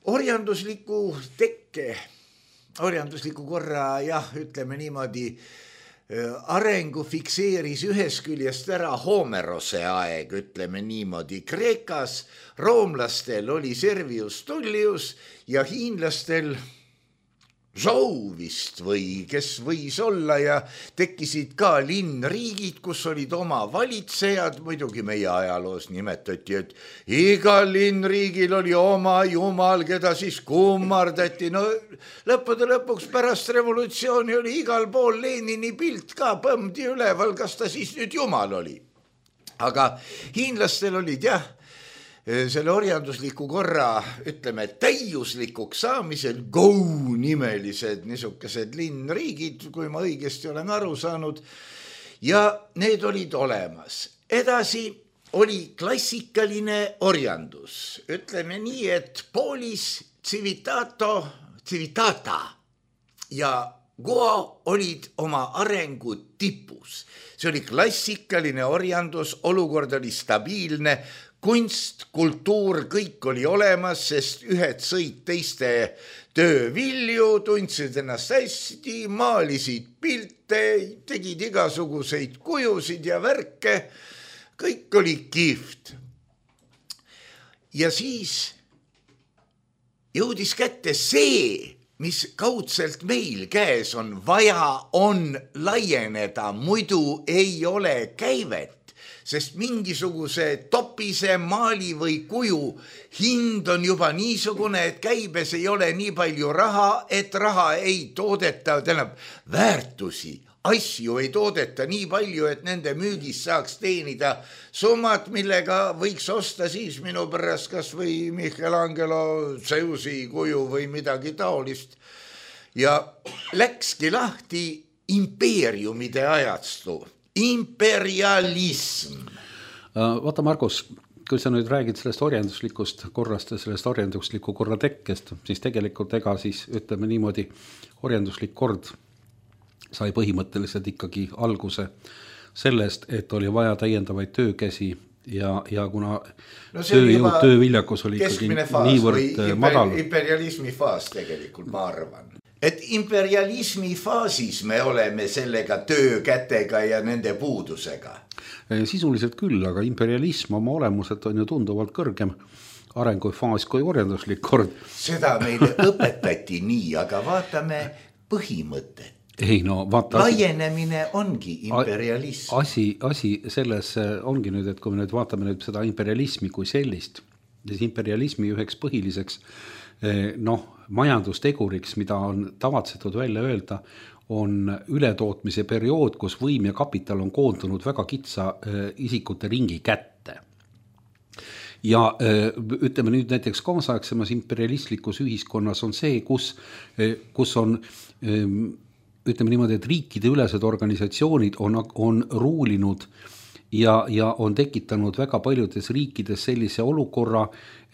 Orjandusliku tekke, orjandusliku korra, jah, ütleme niimoodi, arengu fikseeris ühes küljest ära Homerose aeg, ütleme niimoodi. Kreekas roomlastel oli Servius Tullius ja hiinlastel Zouvist või kes võis olla ja tekkisid ka linnriigid, kus olid oma valitsejad, muidugi meie ajaloos nimetati, et igal linnriigil oli oma jumal, keda siis kummardati. No lõppude lõpuks pärast revolutsiooni oli igal pool Lenini pilt ka põmdi üleval, kas ta siis nüüd jumal oli. Aga hiinlastel olid jah, selle orjandusliku korra, ütleme, täiuslikuks saamisel Go nimelised niisugused linnriigid, kui ma õigesti olen aru saanud, ja need olid olemas. Edasi oli klassikaline orjandus. Ütleme nii, et Poolis civitato, civitata ja Go olid oma arengu tipus. See oli klassikaline orjandus, olukord oli stabiilne, kunst, kultuur, kõik oli olemas, sest ühed sõid teiste töövilju, tundsid ennast hästi, maalisid pilte, tegid igasuguseid kujusid ja värke, kõik oli kihvt. Ja siis jõudis kätte see, mis kaudselt meil käes on, vaja on laieneda, muidu ei ole käivet. Sest mingisuguse topise maali või kuju hind on juba niisugune, et käibes ei ole nii palju raha, et raha ei toodeta, tähendab väärtusi, asju ei toodeta nii palju, et nende müügis saaks teenida summad, millega võiks osta siis minu pärast kas või Michelangelo Zeusi kuju või midagi taolist. Ja läkski lahti impeeriumide ajastu. Imperialism. Vaata, Margus, kui sa nüüd räägid sellest orjanduslikust korrast ja sellest orjandusliku korra tekkest, siis tegelikult ega siis ütleme niimoodi orjanduslik kord sai põhimõtteliselt ikkagi alguse sellest, et oli vaja täiendavaid töökäsi ja, ja kuna no tööjõud, tööviljakus oli ikkagi niivõrd madal. Imperialismi faas tegelikult, ma arvan. Et imperialismi faasis me oleme sellega töökätega ja nende puudusega. Sisuliselt küll, aga imperialism oma olemuselt on ju tunduvalt kõrgem arengufaas kui orjanduslik kord. Seda meile õpetati nii, aga vaatame põhimõtet. ei no vaata. Laienemine ongi imperialism. Asi, asi selles ongi nüüd, et kui me nüüd vaatame nüüd seda imperialismi kui sellist, siis imperialismi üheks põhiliseks noh, majandusteguriks, mida on tavatsetud välja öelda, on ületootmise periood, kus võim ja kapital on koondunud väga kitsa isikute ringi kätte. Ja ütleme nüüd näiteks kaasaegsemas imperialistlikus ühiskonnas on see, kus, kus on ütleme niimoodi, et riikide ülesed organisatsioonid on, on ruulinud ja, ja on tekitanud väga paljudes riikides sellise olukorra,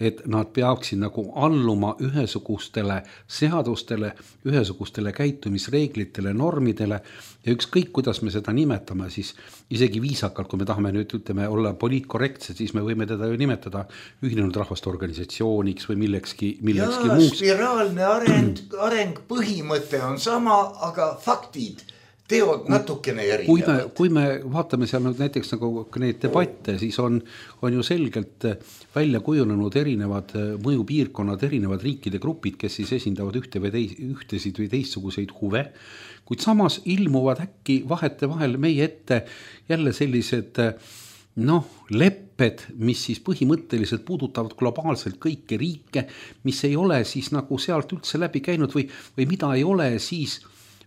et nad peaksid nagu alluma ühesugustele seadustele, ühesugustele käitumisreeglitele, normidele ja ükskõik, kuidas me seda nimetame, siis isegi viisakalt, kui me tahame nüüd ütleme, olla poliitkorrektsed, siis me võime teda ju nimetada ühinenud rahvaste organisatsiooniks või millekski, millekski Jaa, muuks. Spiraalne areng, areng põhimõte on sama, aga faktid teod natukene erinevad. Kui me, kui me vaatame seal nüüd näiteks nagu neid debatte, siis on, on ju selgelt välja kujunenud erinevad mõjupiirkonnad, erinevad riikide grupid, kes siis esindavad ühte või teis, ühtesid või teistsuguseid huve, kuid samas ilmuvad äkki vahete vahel meie ette jälle sellised noh, lepped, mis siis põhimõtteliselt puudutavad globaalselt kõiki riike, mis ei ole siis nagu sealt üldse läbi käinud või, või mida ei ole siis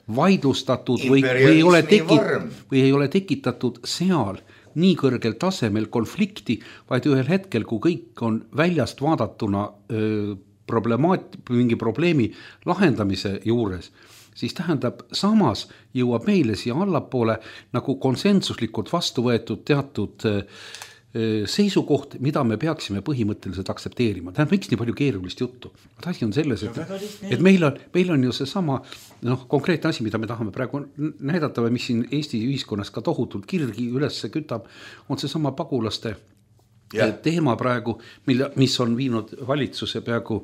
vaidlustatud või, või, ei ole tekit, või ei ole tekitatud seal nii kõrgel tasemel konflikti, vaid ühel hetkel, kui kõik on väljast vaadatuna öö, problemaat, mingi probleemi lahendamise juures, siis tähendab, samas jõuab meile siia allapoole nagu konsensuslikult vastu võetud teatud öö, seisukoht, mida me peaksime põhimõtteliselt aksepteerima. Tähendab, miks nii palju keerulist juttu? Asi on selles, et, et meil, on, meil on ju see sama noh, konkreetne asi, mida me tahame praegu näidata või mis siin Eesti ühiskonnas ka tohutult kirgi üles kütab, on see sama pagulaste ja. teema praegu, mille, mis on viinud valitsuse peaaegu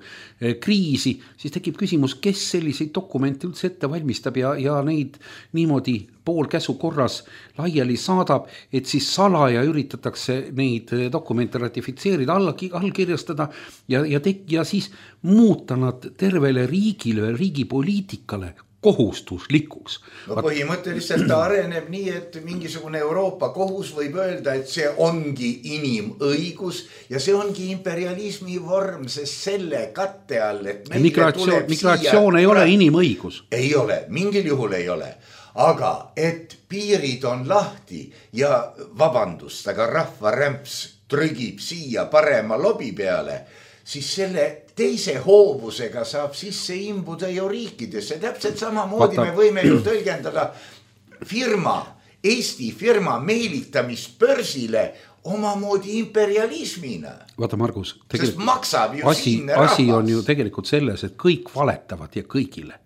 kriisi, siis tekib küsimus, kes selliseid dokumente üldse ette valmistab ja, ja neid niimoodi poolkäsu korras laiali saadab, et siis salaja üritatakse neid dokumente ratifitseerida, alla, allkirjastada ja, ja, tek, ja siis muuta nad tervele riigile, riigi poliitikale kohustuslikuks. No põhimõtteliselt ta areneb nii, et mingisugune Euroopa kohus võib öelda, et see ongi inimõigus ja see ongi imperialismi vorm, sest selle katte all, et migratsioon, migratsioon ei ole inimõigus. Ei ole, mingil juhul ei ole. Aga et piirid on lahti ja vabandust, aga rahvarämps trügib siia parema lobi peale, siis selle teise hoovusega saab sisse imbuda ju riikidesse. Täpselt samamoodi Vata. Me võime ju tõlgendada firma, Eesti firma meelitamist börsile omamoodi imperialismina. Vaata, Margus, sest maksab ju asi, siinne rahvas. Asi on ju tegelikult selles, et kõik valetavad ja kõigile.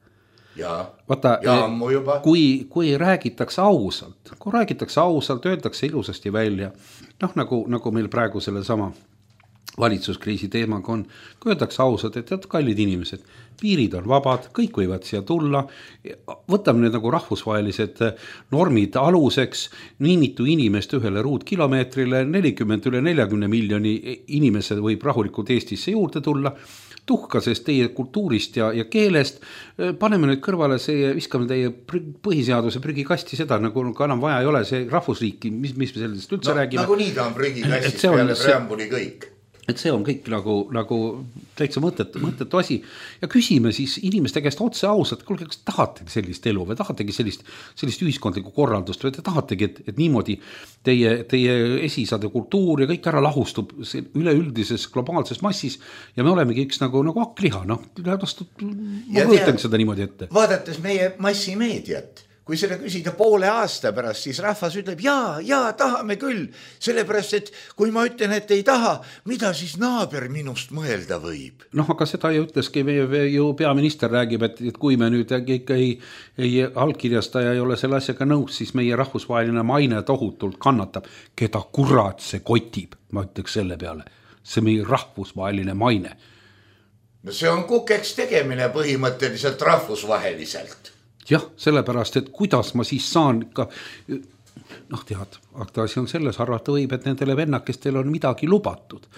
Ja, Vaata, ja ammu juba. Kui, kui räägitakse ausalt, kui räägitakse ausalt, öeldakse ilusasti välja, noh nagu, nagu meil praegu selle sama valitsuskriisi teemaga on, kui öeldakse ausalt, et tead, kallid inimesed, piirid on vabad, kõik võivad siia tulla, võtame nüüd nagu rahvusvahelised normid aluseks, nii mitu inimest ühele ruutkilomeetrile, nelikümmend üle neljakümne miljoni inimesed võib rahulikult Eestisse juurde tulla, tuhka sest teie kultuurist ja, ja keelest, paneme nüüd kõrvale see, viskame teie põhiseaduse prügikasti seda, nagu enam vaja ei ole, see rahvusriiki, mis, mis me sellest üldse no, räägime. Nagu nii ta on prügikastist peale preambuli kõik. Et see on kõik nagu, nagu täitsa mõttetu, mõttetu asi ja küsime siis inimeste käest otse ausalt, kuulge, kas tahategi sellist elu või tahategi sellist, sellist ühiskondlikku korraldust või te tahategi, et, et niimoodi teie, teie esisade kultuur ja kõik ära lahustub üleüldises globaalses massis ja me olemegi üks nagu, nagu akkliha, noh, ma võtan seda niimoodi ette. Vaadates meie massimeediat, kui seda küsida poole aasta pärast, siis rahvas ütleb, jaa, jaa, tahame küll. Sellepärast, et kui ma ütlen, et ei taha, mida siis naaber minust mõelda võib? Noh, aga seda ju ütleski meie ju peaminister räägib, et, et kui me nüüd ikka ei, ei allkirjastaja ei ole selle asjaga nõus, siis meie rahvusvaheline maine tohutult kannatab. Keda kurat see kotib, ma ütleks selle peale. See meie rahvusvaheline maine. No see on kukeks tegemine põhimõtteliselt rahvusvaheliselt. Jah, sellepärast, et kuidas ma siis saan ka, noh tead, asi on selles, arvata võib, et nendele vennakestel on midagi lubatud.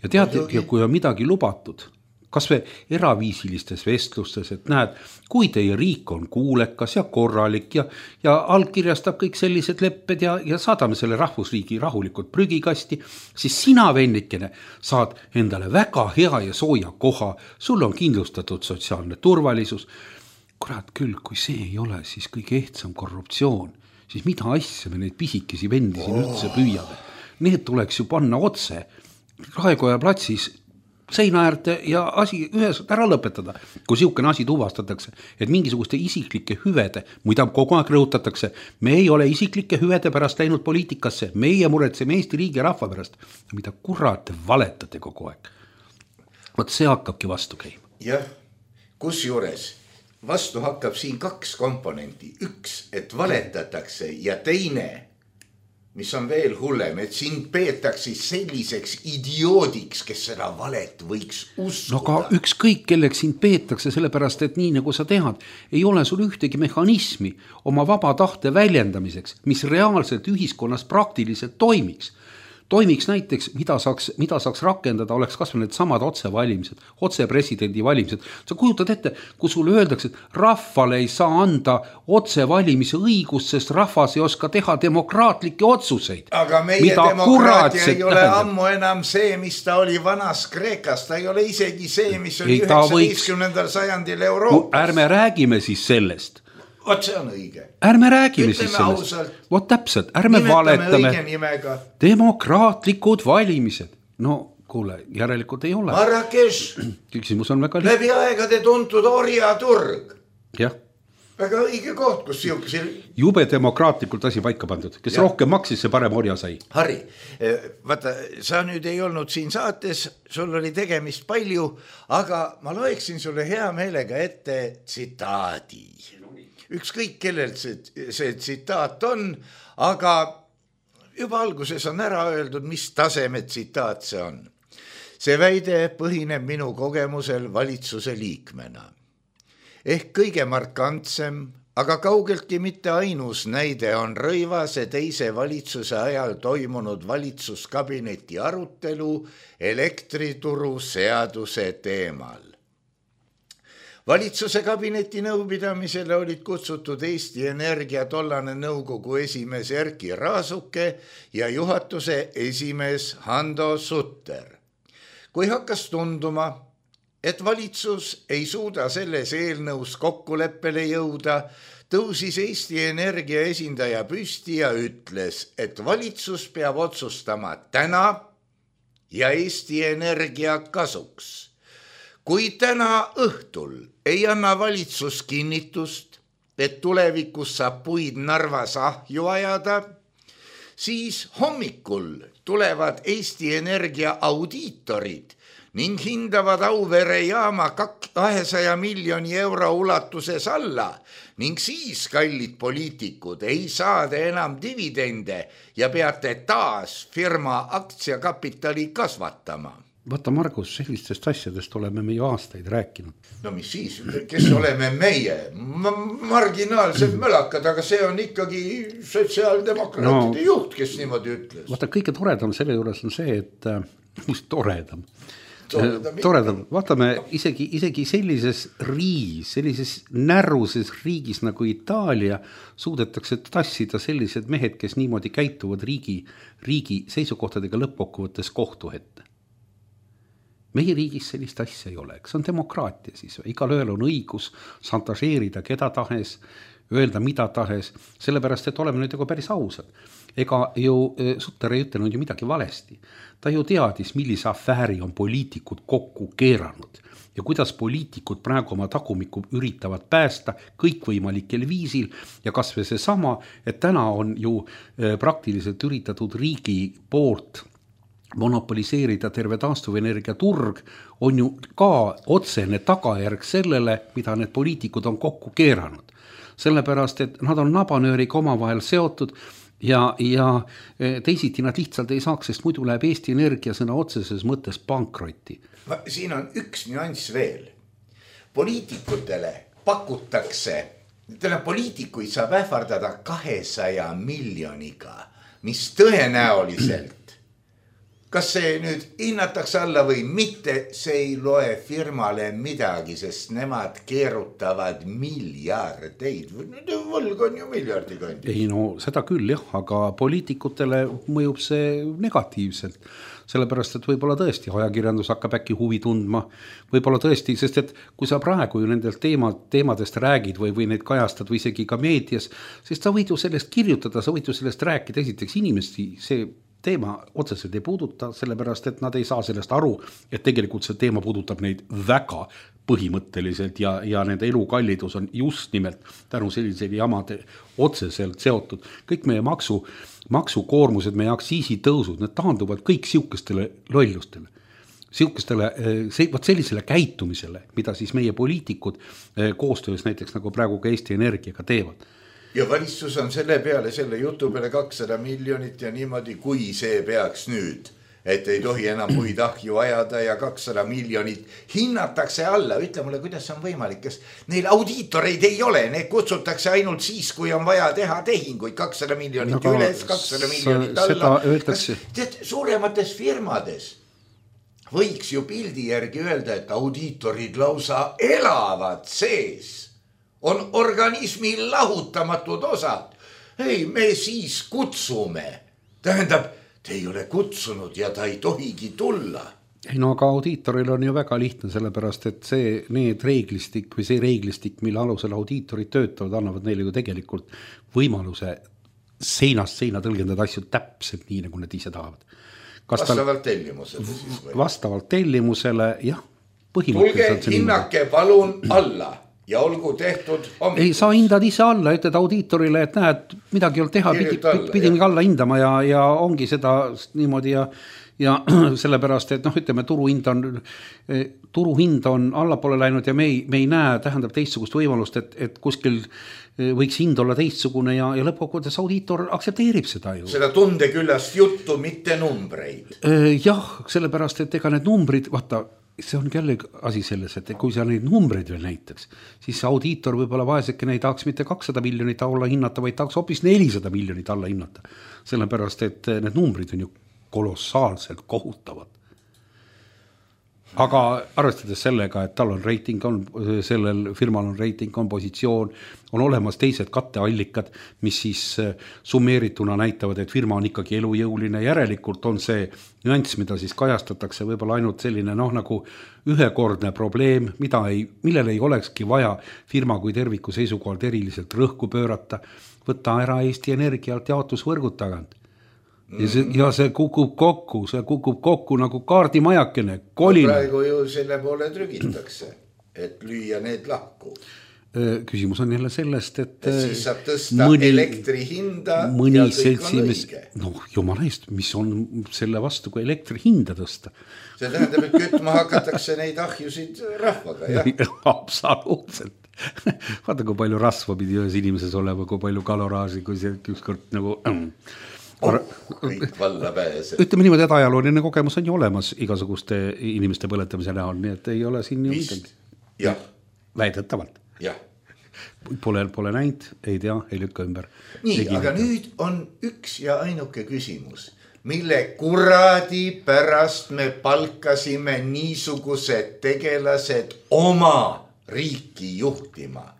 Ja tead, ja kui on midagi lubatud, kas või eraviisilistes vestlustes, et näed, kui teie riik on kuulekas ja korralik ja, ja allkirjastab kõik sellised lepped ja, ja saadame selle rahvusriigi rahulikult prügikasti, siis sina, vennikene, saad endale väga hea ja sooja koha, sul on kindlustatud sotsiaalne turvalisus. Kurat küll, kui see ei ole, siis kõige ehtsam korruptsioon, siis mida asja me neid pisikesi vendi siin üldse püüame? Need tuleks ju panna otse Raekoja platsis seina äärde ja asi ühes ära lõpetada. Kui siukene asi tuvastatakse, et mingisuguste isiklike hüvede, mida kogu aeg rõhutatakse, me ei ole isiklike hüvede pärast läinud poliitikasse, meie muretseme Eesti riigi ja rahva pärast. Mida kurat valetate kogu aeg? Vaat see hakkabki vastu käima. Jah, kus juures vastu hakkab siin kaks komponenti. Üks, et valetatakse ja teine, mis on veel hullem, et sind peetakse selliseks idioodiks, kes seda valet võiks uskuda. No aga ükskõik kelleks sind peetakse, sellepärast, et nii nagu sa tead, ei ole sul ühtegi mehhanismi oma vaba tahte väljendamiseks, mis reaalselt ühiskonnas praktiliselt toimiks. Toimiks näiteks, mida saaks, mida saaks rakendada, oleks kasvõi need samad otsevalimised, otsepresidendi valimised. Sa kujutad ette, kui sulle öeldakse, et rahvale ei saa anda otsevalimise õigust, sest rahvas ei oska teha demokraatlikke otsuseid. Aga meie mida demokraatia ei ole tähendab? Ammu enam see, mis ta oli vanas Kreekas. Ta ei ole isegi see, mis oli üheksateistkümnendal sajandil Euroopas. Ärme räägime siis sellest. Vot see on õige. Ärme räägime ütleme siis sellest. Vot täpselt, ärme valetame. Demokraatlikud valimised. No kuule, järelikult ei ole. Marrakech. Küsimus on väga lihtne. Läbi aegade tuntud orjaturg. Jah. Väga õige koht, kus siukse... Jube demokraatlikult asi paika pandud. Kes ja. Rohkem maksis, see parem orja sai. Harri, vaata, sa nüüd ei olnud siin saates, sul oli tegemist palju, aga ma loeksin sulle hea meelega ette tsitaadi. Ükskõik kellelt see, see tsitaat on, aga juba alguses on ära öeldud, mis taseme tsitaat see on. See väide põhineb minu kogemusel valitsuse liikmena. Ehk kõige markantsem, aga kaugeltki mitte ainus näide on Rõivase teise valitsuse ajal toimunud valitsuskabineti arutelu elektrituru seaduse teemal. Valitsuse kabineti nõupidamisele olid kutsutud Eesti Energia tollane nõukogu esimees Erki Raasuke ja juhatuse esimees Hando Sutter. Kui hakkas tunduma, et valitsus ei suuda selles eelnõus kokkuleppele jõuda, tõusis Eesti Energia esindaja püsti ja ütles, et valitsus peab otsustama täna ja Eesti Energia kasuks. Kui täna õhtul ei anna valitsus kinnitust, et tulevikus saab puid Narvas ahju ajada, siis hommikul tulevad Eesti Energia audiitorid ning hindavad Auvere jaama kahesaja miljoni euro ulatuses alla ning siis, kallid poliitikud, ei saada enam dividende ja peate taas firma aktsiakapitali kasvatama. Vaata, Margus, sellistest asjadest oleme me ju aastaid rääkinud. No mis siis, kes oleme meie? Marginaalsed mölakad, aga see on ikkagi sotsiaaldemokraatide no, juht, kes niimoodi ütles. Vaata, kõige toredam selle juures on see, et mis toredam. Toredam, toredam. Vaatame, isegi, isegi sellises riigis, sellises närruses riigis nagu Itaalia suudetakse tassida sellised mehed, kes niimoodi käituvad riigi, riigi seisukohtadega lõppkokkuvõttes kohtu ette. Meie riigis sellist asja ei ole, see on demokraatia siis. Igal ühel on õigus santažeerida keda tahes, öelda mida tahes, sellepärast, et oleme nüüd nagu päris ausad. Ega ju Sutter ei ütelnud ju midagi valesti. Ta ju teadis, millise afääri on poliitikud kokku keeranud ja kuidas poliitikud praegu oma tagumikku üritavad päästa kõikvõimalikel viisil ja kas või see sama, et täna on ju praktiliselt üritatud riigi poolt monopoliseerida terve taastuvenergia turg on ju ka otsene tagajärg sellele, mida need poliitikud on kokku keeranud. Sellepärast, et nad on nabanööriga omavahel seotud ja, ja teisiti nad lihtsalt ei saaks, sest muidu läheb Eesti Energia sõna otseses mõttes pankrotti. Siin on üks nüanss veel. Poliitikutele pakutakse, täna poliitikuid saab ähvardada kahesaja miljoniga, mis tõenäoliselt kas see nüüd hinnatakse alla või mitte, see ei loe firmale midagi, sest nemad keerutavad miljardeid. Võlg on ju miljardi kandi. Ei no seda küll jah, aga poliitikutele mõjub see negatiivselt. Sellepärast, et võib-olla tõesti ajakirjandus hakkab äkki huvi tundma. Võib-olla tõesti, sest et kui sa praegu ju nendelt teema, teemadest räägid või, või neid kajastad või isegi ka meedias, siis sa võid ju sellest kirjutada, sa võid ju sellest rääkida. Esiteks inimesti see teema otseselt ei puuduta, sellepärast, et nad ei saa sellest aru, et tegelikult see teema puudutab neid väga põhimõtteliselt ja, ja nende elukallidus on just nimelt tänu sellisele jamade otseselt seotud. Kõik meie maksu, maksukoormused, meie aktsiisitõusud, need taanduvad kõik siukestele lollustele. Siukestele, võt sellisele käitumisele, mida siis meie poliitikud koostöös näiteks nagu praegu ka Eesti Energiaga teevad. Ja valitsus on selle peale, selle jutu peale kakssada miljonit ja niimoodi, kui see peaks nüüd, et ei tohi enam muid ahju ajada ja kakssada miljonit hinnatakse alla. Ütle mulle, kuidas on võimalik, kes neil audiitoreid ei ole, need kutsutakse ainult siis, kui on vaja teha tehinguid, kakssada miljonit no, üles, kakssada miljonit alla. Öeldakse... Tead, suuremates firmades võiks ju pildi järgi öelda, et audiitorid lausa elavad sees. On organismi lahutamatud osad. Ei, me siis kutsume. Tähendab, te ei ole kutsunud ja ta ei tohigi tulla. Ei no aga audiitoril on ju väga lihtne, sellepärast, et see, need reeglistik või see reeglistik, mille alusel audiitorid töötavad, annavad neile ju tegelikult võimaluse seinast seina tõlgendada asju täpselt nii, nagu nad ise tahavad. Kas vastavalt tal... tellimusele siis või? Vastavalt tellimusele, jah. Tulge, hinnake palun alla. Ja olgu tehtud hommikul. Ei, sa hindad ise alla, ütled audiitorile, et näed, midagi ei ole teha, pidi, pidin alla hindama ja, ja ongi seda niimoodi ja, ja sellepärast, et noh, ütleme, turuhind on, turuhind on allapoole läinud ja me ei, me ei näe, tähendab teistsugust võimalust, et, et kuskil võiks hind olla teistsugune ja, ja lõppkokkuvõttes audiitor aktsepteerib seda ju. Seda tundeküllast juttu, mitte numbreid. Jah, sellepärast, et ega need numbrid, vaata, see on jälle asi selles, et kui sa neid numbreid veel näitaks, siis audiitor võib-olla vaeseke neid tahaks mitte kakssada miljonit alla hinnata, vaid tahaks hoopis nelisada miljonit alla hinnata. Sellepärast, et need numbrid on ju kolossaalselt kohutavad. Aga arvestades sellega, et tal on reiting, on, sellel firmal on reiting, on positsioon, on olemas teised katteallikad, mis siis summeerituna näitavad, et firma on ikkagi elujõuline. Järelikult on see nüanss, mida siis kajastatakse, võib-olla ainult selline noh, nagu ühekordne probleem, mida ei, millele ei olekski vaja firma kui terviku seisukohalt eriliselt rõhku pöörata, võtta ära Eesti Energialt jaotusvõrgud tagant. Ja see, ja see kukub kokku, see kukub kokku nagu kaardimajakene, kolina. Praegu ju selle poole trügitakse, et lüüa need lahku. Küsimus on jälle sellest, et, et siis saab tõsta mõni, elektri hinda mõni ja kõik seltsimes, on õige. Noh, jumala eest, mis on selle vastu, kui elektri hinda tõsta? See tähendab, et kütma hakatakse neid ahjusid rahvaga, jah? Absoluutselt. Vaata, kui palju rasva pidi ühes inimeses olema, kui palju kaloraaži, kui see ükskord nagu... Oh, kõik valla pääse. Ütleme niimoodi, et ajalooline kogemus on ju olemas igasuguste inimeste põletamise näol, nii et ei ole siin ju midagi. Jah. Väidetavalt. Jah. Pole, pole näinud, ei tea, ei lükka ümber. Nii, aga nüüd on üks ja ainuke küsimus, mille kuradi pärast me palkasime niisugused tegelased oma riiki juhtima.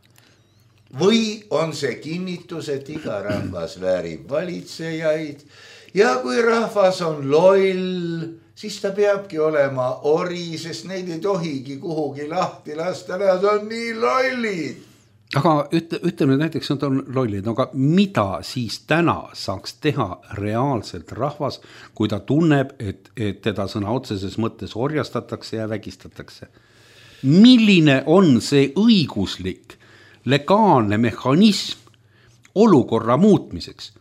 Või on see kinnitus, et iga rahvas väärib valitsejaid ja kui rahvas on loll, siis ta peabki olema ori, sest neid ei tohigi kuhugi lahti lasta, nad on nii lollid. Aga ütle, ütleme näiteks, nad on lollid, aga mida siis täna saaks teha reaalselt rahvas, kui ta tunneb, et, et teda sõna otseses mõttes orjastatakse ja vägistatakse? Milline on see õiguslik legaalne mehhanism olukorra muutmiseks?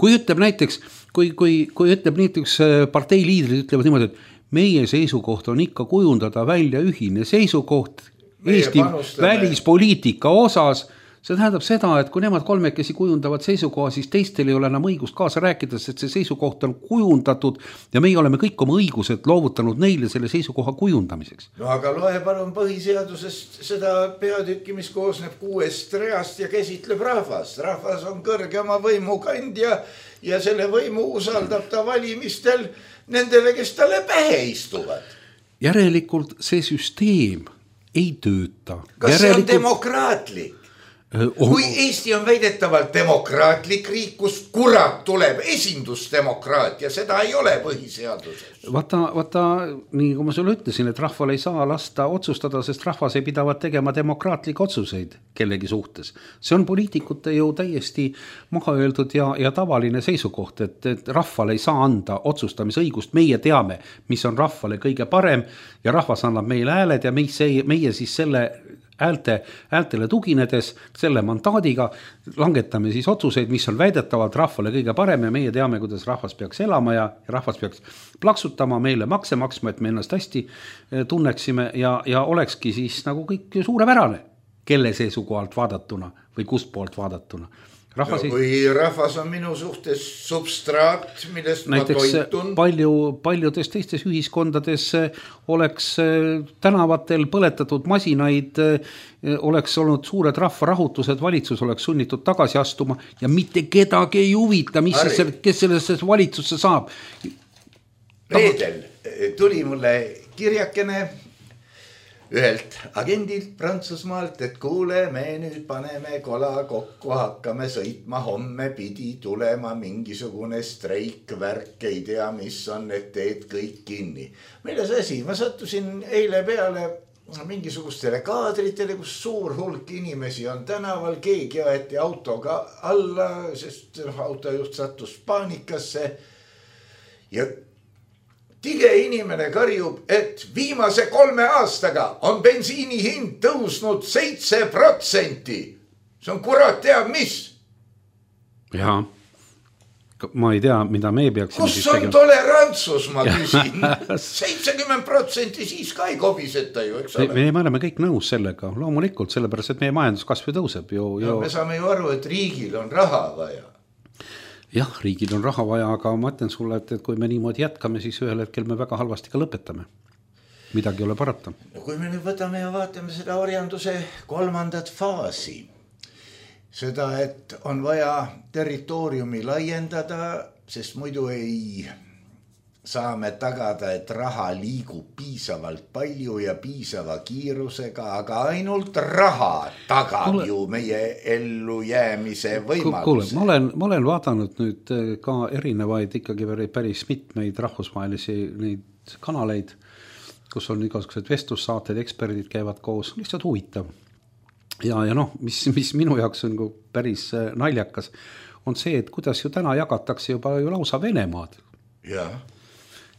Kui ütleb näiteks, kui, kui, kui ütleb näiteks partei liidrid ütlevad niimoodi, et meie seisukoht on ikka kujundada välja ühine seisukoht meie Eesti panustame. Välispoliitika osas, see tähendab seda, et kui nemad kolmekesi kujundavad seisukoha, siis teistel ei ole enam õigust kaasa rääkides, et see seisukoht on kujundatud ja meie oleme kõik oma õigused loovutanud neile selle seisukoha kujundamiseks. No aga loe palun põhiseadusest seda peatükki, mis koosneb kuuest reast ja käsitleb rahvas. Rahvas on kõrgema võimu kandja ja selle võimu usaldab ta valimistel nendele, kes talle pähe istuvad. Järelikult see süsteem ei tööta. Kas Järelikult... see on demokraatlik? Oh, kui Eesti on väidetavalt demokraatlik riik, kus kurat tuleb esindusdemokraatia, seda ei ole põhiseaduses. Vaata, vaata, nii kui ma sulle ütlesin, et rahval ei saa lasta otsustada, sest rahvas ei pidavat tegema demokraatlikke otsuseid kellegi suhtes. See on poliitikute ju täiesti maha öeldud ja, ja tavaline seisukoht, et, et rahval ei saa anda otsustamisõigust. Meie teame, mis on rahvale kõige parem ja rahvas annab meile hääled ja meie, meie siis selle häälte, häältele tuginedes selle mandaadiga langetame siis otsuseid, mis on väidetavalt rahvale kõige parem ja meie teame, kuidas rahvas peaks elama ja, ja rahvas peaks plaksutama, meile makse maksma, et me ennast hästi tunneksime ja, ja olekski siis nagu kõik suurepärane, kelle seisukohalt vaadatuna või kust poolt vaadatuna. Rahvas no, kui ei... rahvas on minu suhtes substraat, millest näiteks ma toitun. Palju, paljudes teistes ühiskondades oleks tänavatel põletatud masinaid, oleks olnud suured rahvarahutused, valitsus oleks sunnitud tagasi astuma ja mitte kedagi ei huvita, mis siis, kes sellest valitsusse saab. Reedel tuli mulle kirjakene ühelt agendilt Prantsusmaalt, et kuule, me nüüd paneme kola kokku, hakkame sõitma, homme pidi tulema mingisugune streik, värk, ei tea, mis on, et teed kõik kinni. Milles asi? Ma sattusin eile peale mingisugustele kaadritele, kus suur hulk inimesi on tänaval, keegi aeti autoga alla, sest autojuht sattus paanikasse ja tige inimene karjub, et viimase kolme aastaga on bensiini hind tõusnud seitse protsenti. See on kurat teab mis. Jaa, ma ei tea, mida me peaksime kus on tegema. Tolerantsus, ma küsin. seitsekümmend protsenti siis ka ei kobiseta ju, eks ole. Me, me oleme kõik nõus sellega, loomulikult, sellepärast, et meie majanduskasv tõuseb ju, ju... No, me saame ju aru, et riigil on raha vaja. Jah, riigil on raha vaja, aga ma ütlen sulle, et, et kui me niimoodi jätkame, siis ühel hetkel me väga halvasti ka lõpetame. Midagi ei ole parata. No kui me nüüd võtame ja vaatame seda orjanduse kolmandat faasi, seda, et on vaja territooriumi laiendada, sest muidu ei saame tagada, et raha liigub piisavalt palju ja piisava kiirusega, aga ainult raha tagab Kule, ju meie ellu jäämise võimaluse. Kuule, ma olen, ma olen vaadanud nüüd ka erinevaid ikkagi päris mitmeid rahvusvahelisi neid kanaleid, kus on igasugused vestlussaated, eksperdid käivad koos, lihtsalt huvitav. Ja, ja noh, mis, mis minu jaoks on päris naljakas, on see, et kuidas ju täna jagatakse juba ju lausa Venemaad. Jah.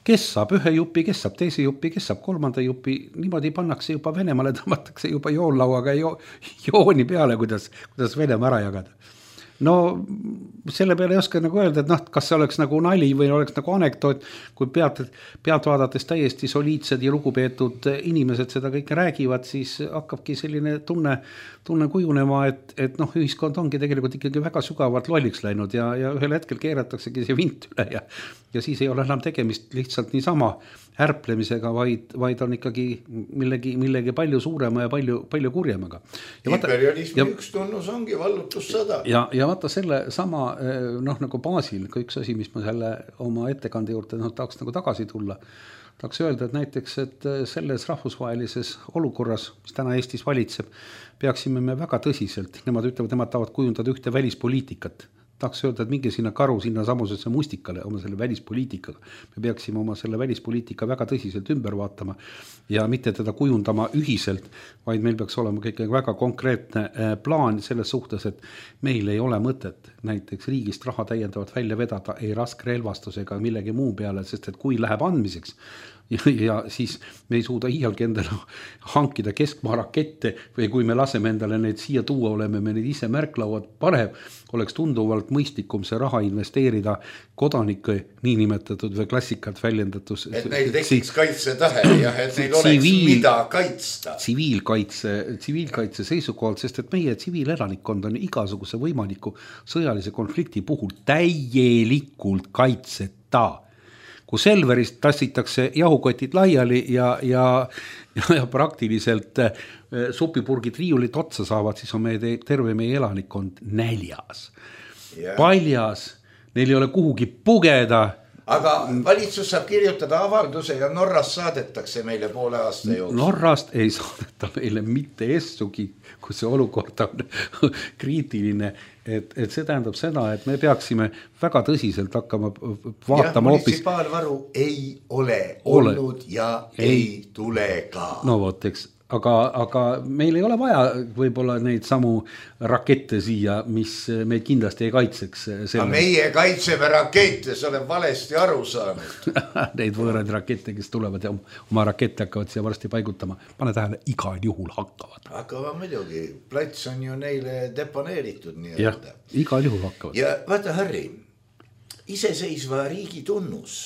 Kes saab ühe jupi, kes saab teise jupi, kes saab kolmanda jupi, niimoodi pannakse juba Venemaale, tõmmatakse juba joonlauaga jo, jooni peale, kuidas, kuidas Venemaa ära jagada. No selle peale ei oska nagu öelda, et noh, kas see oleks nagu nali või oleks nagu anekdoot, kui pealt, pealt vaadates täiesti soliidsed ja lugupeetud inimesed seda kõike räägivad, siis hakkabki selline tunne, tunne kujunema, et, et noh, ühiskond ongi tegelikult ikkagi väga sügavalt lolliks läinud ja, ja ühel hetkel keerataksegi see vint üle ja, ja siis ei ole enam tegemist lihtsalt niisama ärplemisega, vaid, vaid on ikkagi millegi, millegi palju suurema ja palju, palju kurjemaga. Imperialismi ja, üks tunnus ongi vallutussõda. Ja, ja vaata selle sama noh, nagu baasil, kui üks asi, mis ma selle oma ettekande juurde no, tahaks nagu tagasi tulla, tahaks öelda, et näiteks, et selles rahvusvahelises olukorras, mis täna Eestis valitseb, peaksime me väga tõsiselt, nemad ütlevad, nemad tahavad kujundada ühte välispoliitikat. Tahaks öelda, et minge sinna karu sinna samusesse mustikale oma selle välispoliitikaga. Me peaksime oma selle välispoliitika väga tõsiselt ümber vaatama ja mitte teda kujundama ühiselt, vaid meil peaks olema kõik väga konkreetne plaan selles suhtes, et meil ei ole mõtet näiteks riigist raha täiendavalt välja vedada ei raskrelvastus ega millegi muu peale, sest et kui läheb andmiseks, Ja, ja siis me ei suuda iialgi endale hankida keskmaa rakette või kui me laseme endale neid siia tuua, oleme me neid ise märklauad parem, oleks tunduvalt mõistlikum see raha investeerida kodanike niinimetatud või klassikalt väljendatus. Et neil tekiks kaitsetahe ja et neil oleks tsiviil, mida kaitsta. Tsiviilkaitse, tsiviilkaitse seisukohalt, sest et meie tsiviilelanikkond on igasuguse võimaliku sõjalise konflikti puhul täielikult kaitseta. Kui Selverist tassitakse jahukotid laiali ja, ja, ja, ja praktiliselt supipurgid riiulit otsa saavad, siis on meie terve meie elanikkond näljas. Yeah. Paljas, neil ei ole kuhugi pugeda. Aga valitsus saab kirjutada avalduse ja Norrast saadetakse meile poole aasta jooksul. Norrast ei saadeta meile mitte essugi, kui see olukord on kriitiline, et, et see tähendab seda, et me peaksime väga tõsiselt hakkama vaatama hoopis. Munitsipaalvaru ei ole olnud ole. ja ei, ei tule ka. No vot, eks. Aga, aga meil ei ole vaja võib-olla neid samu rakette siia, mis meid kindlasti ei kaitseks. Aga meie kaitseme rakette, see olen valesti aru saanud. Neid võõraid rakette, kes tulevad ja oma rakette hakkavad siia varsti paigutama. Pane tähele, igal juhul hakkavad. Aga muidugi, plats on ju neile deponeeritud. Nii jah, igal juhul hakkavad. Ja vaata, Harri, iseseisva riigi tunnus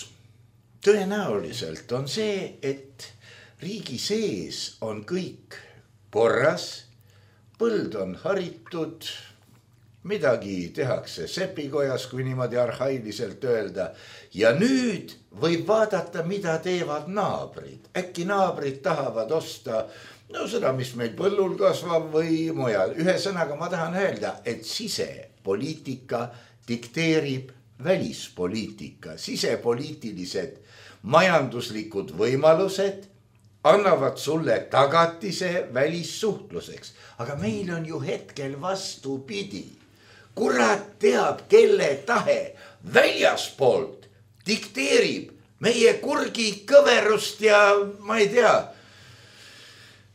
tõenäoliselt on see, et riigi sees on kõik korras, põld on haritud, midagi tehakse sepikojas, kui niimoodi arhailiselt öelda. Ja nüüd võib vaadata, mida teevad naabrid. Äkki naabrid tahavad osta no seda, mis meil põllul kasvab või mujal. Ühe sõnaga ma tahan öelda, et sisepoliitika dikteerib välispoliitika. Sisepoliitilised majanduslikud võimalused annavad sulle tagatise välissuhtluseks. Aga meil on ju hetkel vastupidi. Kurat teab, kelle tahe väljaspoolt dikteerib meie kurgi kõverust ja ma ei tea,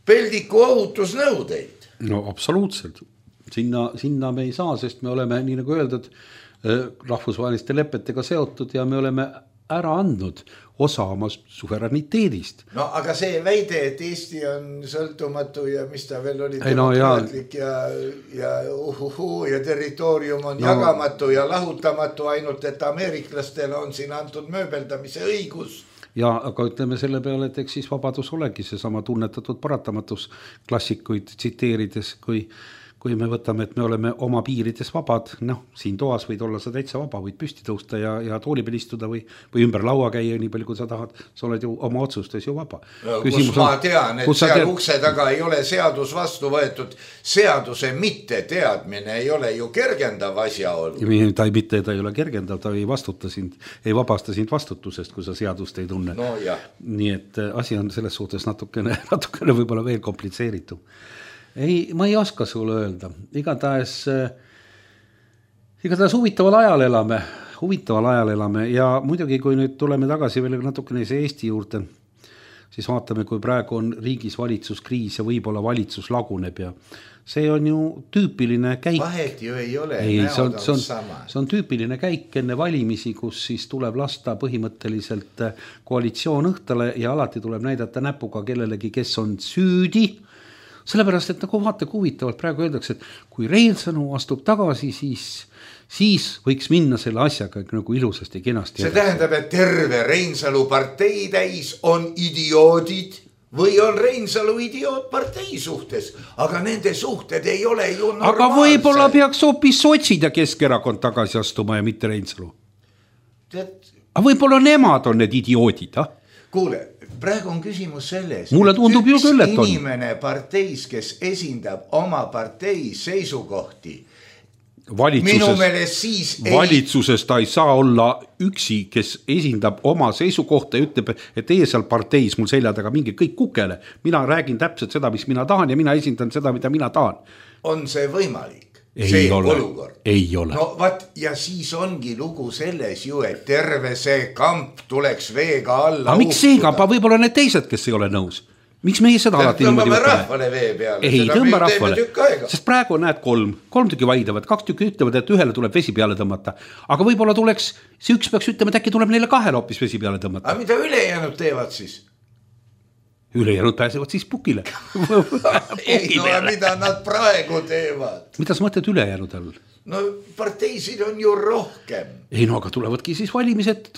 peldiku ohutusnõudeid. No absoluutselt. Sinna, sinna me ei saa, sest me oleme, nii nagu öeldud, rahvusvaheliste lepetega seotud ja me oleme ära andnud osa oma suveraniteedist. No aga see väide, et Eesti on sõltumatu ja mis ta veel oli demokraatlik no, ja, ja, ja uhuhu ja territoorium on no. jagamatu ja lahutamatu, ainult et ameeriklastele on siin antud mööbeldamise õigus. Ja aga ütleme selle peale, et eks siis vabadus olegi see sama tunnetatud paratamatus klassikuid tsiteerides, kui kui me võtame, et me oleme oma piirides vabad, noh, siin toas võid olla sa täitsa vaba, võid püsti tõusta ja, ja tooli peal istuda või, või ümber laua käia nii palju, kui sa tahad, sa oled ju oma otsustes ju vaba. No, kus ma tean, et seal tead... ukse taga ei ole seadus vastu võetud, seaduse mitte teadmine ei ole ju kergendav asjaolu. Ta ei, mitte, ta ei ole kergendav, ta ei vastuta sind, ei vabasta sind vastutusest, kui sa seadust ei tunne. No, jah. Nii et asi on selles suhtes natukene, natukene võib-olla veel komplitseeritud. Ei, ma ei oska sulle öelda. Igatahes, igatahes huvitaval ajal elame, huvitaval ajal elame ja muidugi, kui nüüd tuleme tagasi veel natukene see Eesti juurde, siis vaatame, kui praegu on riigis valitsuskriis ja võib-olla valitsus laguneb ja see on ju tüüpiline käik. Vahet ju ei ole, ei, näod see on, on, on sama. See on tüüpiline käik enne valimisi, kus siis tuleb lasta põhimõtteliselt koalitsioon õhtale ja alati tuleb näidata näpuga kellelegi, kes on süüdi. Sellepärast, et nagu vaata huvitavalt praegu öeldakse, et kui Reinsalu astub tagasi, siis, siis võiks minna selle asjaga nagu ilusasti kenasti. See tähendab, et terve Reinsalu partei täis on idioodid või on Reinsalu idioot partei suhtes, aga nende suhted ei ole ju normaalsed. Aga võib-olla peaks hoopis sotsid ja Keskerakond tagasi astuma ja mitte Reinsalu. Tead... Aga võib-olla nemad on need idioodid, ah? Kuule, praegu on küsimus selles, mulle tundub ju küll, et on inimene parteis, kes esindab oma partei seisukohti. Minu meelest siis ei... valitsuses ta ei saa olla üksi, kes esindab oma seisukohta ja ütleb, et teie seal parteis mul selja taga mingi kõik kukele. Mina räägin täpselt seda, mis mina tahan ja mina esindan seda, mida mina tahan. On see võimalik? Ei see ole, olukord. Ei ole. No vaat, ja siis ongi lugu selles ju, et terve see kamp tuleks veega alla. Aga miks see kamp, võib-olla need teised, kes ei ole nõus? Miks meie seda alati niimoodi võtame? Rahvale vee peale. Ei, tõmba rahvale. Sest praegu näed kolm, kolm tükki vaidavad, kaks tükki ütlevad, et ühele tuleb vesi peale tõmmata. Aga võib-olla tuleks, see üks peaks ütlema, et äkki tuleb neile kahele hoopis vesi peale tõmmata. Aga mida ülejäänud teevad siis? Ülejäänud pääsevad siis pukile. Ei, no mida nad praegu teevad? Mida sa mõtled ülejäänud all? No parteisid on ju rohkem. Ei no, aga tulevadki siis valimised,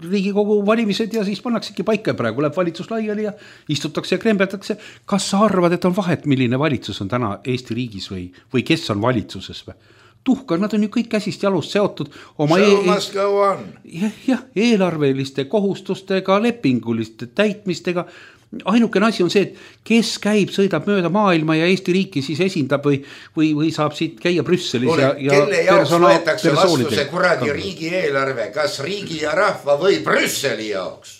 Riigikogu valimised ja siis pannaksegi paika praegu, läheb valitsus laiali ja istutakse ja krembeldakse. Kas sa arvad, et on vahet, milline valitsus on täna Eesti riigis või, või kes on valitsuses või? Tuhka, nad on ju kõik käsist jalust seotud oma e- e- ja, ja, eelarveliste kohustustega, lepinguliste täitmistega. ainukene asi on see, et kes käib, sõidab mööda maailma ja Eesti riiki siis esindab või, või, või saab siit käia Brüsselis Ole, ja, ja kelle jaoks võetakse vastu see kuradi riigieelarve, kas riigi ja rahva või Brüsseli jaoks?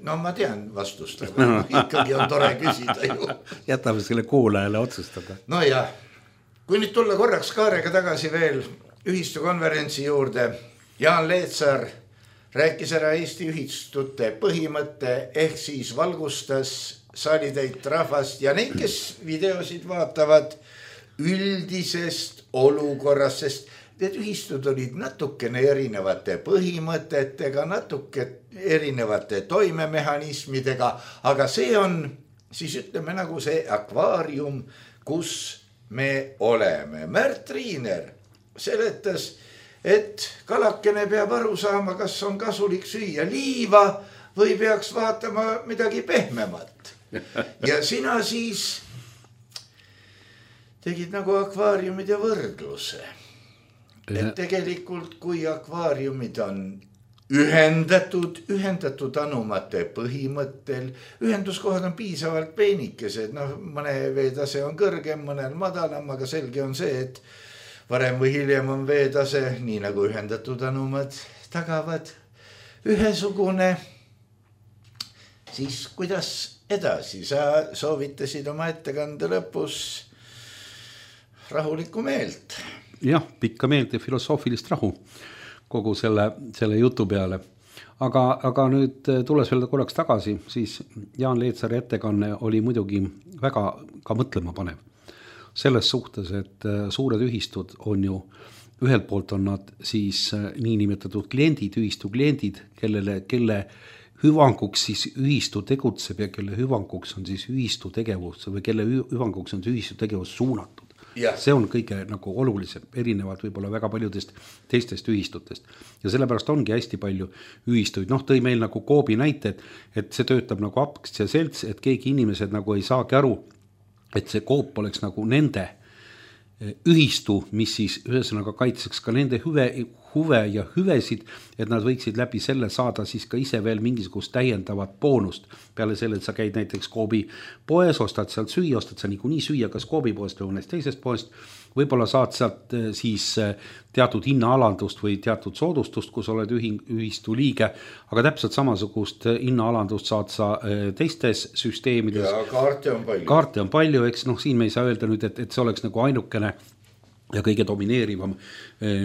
No ma tean vastust, aga ikkagi on tore küsida ju. Jätame selle kuulajale otsustada. No ja, kui nüüd tulla korraks Kaarega tagasi veel ühistu konverentsi juurde, Jaan Leetsar rääkis ära Eesti ühistute põhimõtte ehk siis valgustas saalitäit rahvast ja neid, kes videosid vaatavad üldisest olukorrast, sest need ühistud olid natukene erinevate põhimõtetega, natuke erinevate toimemehhanismidega, aga see on siis ütleme nagu see akvaarium, kus me oleme. Märt Riiner seletas, et kalakene peab aru saama, kas on kasulik süüa liiva või peaks vaatama midagi pehmemat. Ja sina siis tegid nagu akvaariumid ja võrdluse. Et tegelikult kui akvaariumid on ühendatud, ühendatud anumate põhimõttel, ühenduskohad on piisavalt peenikesed, noh mõne veetase on kõrgem, mõnel madalam, aga selge on see, et varem või hiljem on veetase, nii nagu ühendatud anumad tagavad ühesugune. Siis kuidas edasi? Sa soovitasid oma ettekande lõpus rahulikku meelt. Jah, pikka meelt ja filosoofilist rahu kogu selle, selle jutu peale. Aga, aga nüüd tulles veel korraks tagasi, siis Jaan Leetsari ettekanne oli muidugi väga ka mõtlema panev. Selles suhtes, et suured ühistud on ju, ühelt poolt on nad siis niinimetatud kliendid, ühistu kliendid, kellele, kelle hüvanguks siis ühistu tegutseb ja kelle hüvanguks on siis ühistu tegevus või kelle hüvanguks on see ühistu tegevus suunatud. Yeah. See on kõige nagu olulisem, erinevalt võib-olla väga paljudest teistest ühistutest. Ja sellepärast ongi hästi palju ühistuid. Noh, tõi meil nagu Koobi näite, et, et see töötab nagu akts ja selts, et keegi inimesed nagu ei saagi aru, et see Koop oleks nagu nende ühistu, mis siis ühesõnaga kaitseks ka nende hüve, huve ja hüvesid, et nad võiksid läbi selle saada siis ka ise veel mingisugust täiendavat boonust. Peale selle, et sa käid näiteks Koobi poes, ostad sealt süüa, ostad sa niikuinii süüa, kas Koobi poest või mõnest teisest poest, võib-olla saad sealt siis teatud hinnaalandust või teatud soodustust, kus oled ühing, ühistu liige, aga täpselt samasugust hinnaalandust saad sa teistes süsteemides. Ja kaarte on palju. Kaarte on palju, eks noh, siin me ei saa öelda nüüd, et, et see oleks nagu ainukene ja kõige domineerivam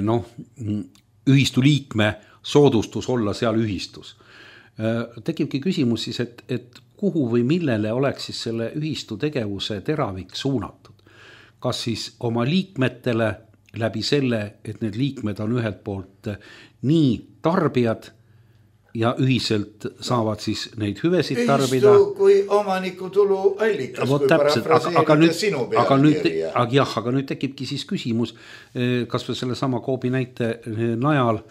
noh, ühistu liikme soodustus olla seal ühistus. Tekibki küsimus siis, et, et kuhu või millele oleks siis selle ühistu tegevuse teravik suunatud. Kas siis oma liikmetele läbi selle, et need liikmed on ühelt poolt nii tarbijad ja ühiselt saavad siis neid hüvesid ühistu tarbida. Ühistu kui omaniku tulu allikas, kui parafraseerida sinu pealkirja. Aga jah, aga nüüd tekibki siis küsimus, kas või selle sama Koobi näite najal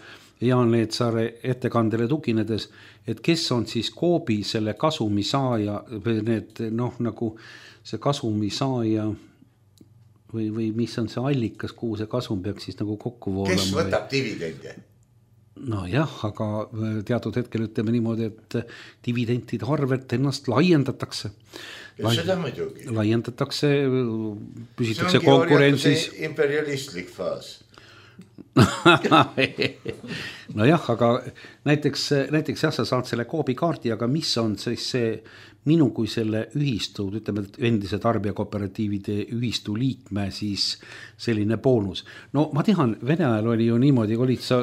Jaan Leetsare ettekandele tuginedes, et kes on siis Koobi selle kasumi saaja või need noh nagu see kasumi saaja või, või mis on see allikas, kuhu see kasum peaks siis nagu kokku voolama. Kes võtab dividende? No jah, aga teatud hetkel ütleme niimoodi, et dividentide arvet ennast laiendatakse. Ja seda muidugi. Laiendatakse, püsitakse konkurentsis. See ongi imperialistlik faas. No jah, aga näiteks, näiteks jah, sa saad selle Koobi kaardi, aga mis on siis see minu kui selle ühistu, ütleme endise tarbijakooperatiivide ühistu liikme siis selline boonus. No ma tean, Vene ajal oli ju niimoodi, olid sa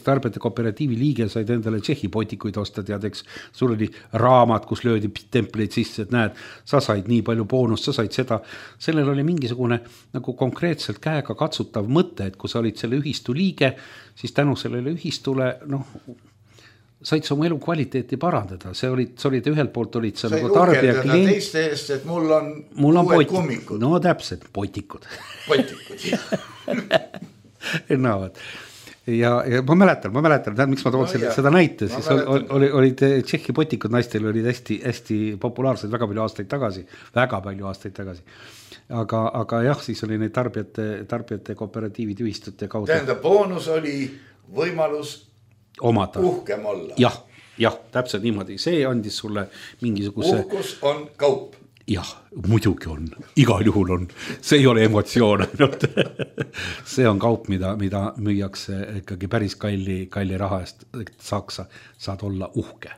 tarbijate kooperatiivi liige, said endale Tšehhi potikuid osta, teadeks, sul oli raamat, kus löödi templid sisse, et näed, sa said nii palju boonust, sa said seda. Sellel oli mingisugune nagu konkreetselt käega katsutav mõte, et kui sa olid selle ühistu liige, siis tänu sellele ühistule, noh, said sa oma elu kvaliteeti parandada, see olid, see olid ühelt poolt olid sa nagu tarbija klient. Teiste eest, et mul on, mul on uued kummikud. No täpselt, potikud. Potikud, jah. No, ja, ja ma mäletan, ma mäletan, miks ma toon no, selle, seda näite, siis oli, oli, olid Tšehhi potikud naistel olid hästi, hästi populaarsed väga palju aastaid tagasi, väga palju aastaid tagasi. Aga, aga jah, siis oli neid tarbijate, tarbijate kooperatiivid ühistute kaudu. Tähendab, boonus oli võimalus omata. Uhkem olla. Jah, jah, täpselt niimoodi, see andis sulle mingisuguse uhkus on kaup. Jah, muidugi on, igal juhul on, see ei ole emotsioon ainult. See on kaup, mida, mida müüakse ikkagi päris kalli, kalli raha eest, et saaks, saad olla uhke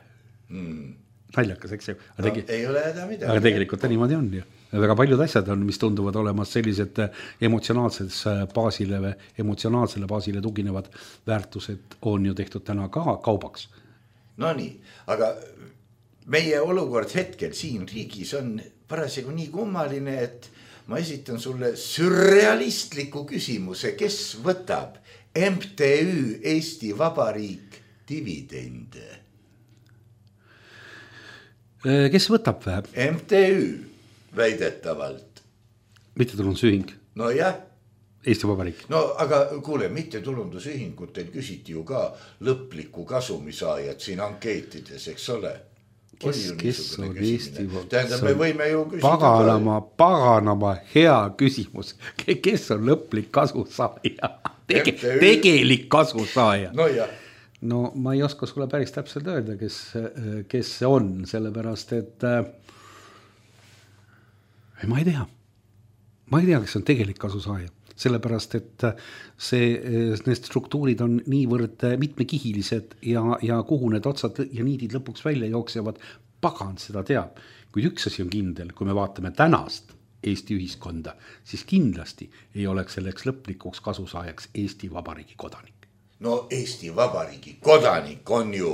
mm. Naljakas, eks ju aga, tegi, no, ei ole häda midagi. Aga tegelikult ta niimoodi on ju. Väga paljud asjad on, mis tunduvad olemas sellised emotsionaalses baasile, emotsionaalsele baasile tuginevad väärtused on ju tehtud täna ka kaubaks. No nii, aga meie olukord hetkel siin riigis on parasjagu nii kummaline, et ma esitan sulle sürrealistliku küsimuse, kes võtab M T Ü Eesti Vabariik dividende? Kes võtab vä? M T Ü väidetavalt. Mittetulundusühing? No jah. Eesti Vabariik. No aga kuule, mittetulundusühingutel küsiti ju ka lõplikku kasumisaajat siin ankeetides, eks ole? Kes, kes on Eesti Vabariik? Tähendab, me võime ju küsida. Paganama, paganama hea küsimus. Kes on lõplik kasusaaja? Tege, tegelik kasusaaja. No jah. No ma ei oska sulle päris täpselt öelda, kes, kes see on, sellepärast, et ma ei tea. Ma ei tea, kes on tegelik kasusaaja. Sellepärast, et see, need struktuurid on niivõrd mitmekihilised ja, ja kuhu need otsad ja niidid lõpuks välja jooksevad, pagan seda teab. Kui üks asi on kindel, kui me vaatame tänast Eesti ühiskonda, siis kindlasti ei oleks selleks lõplikuks kasusaajaks Eesti Vabariigi kodanik. No Eesti Vabariigi kodanik on ju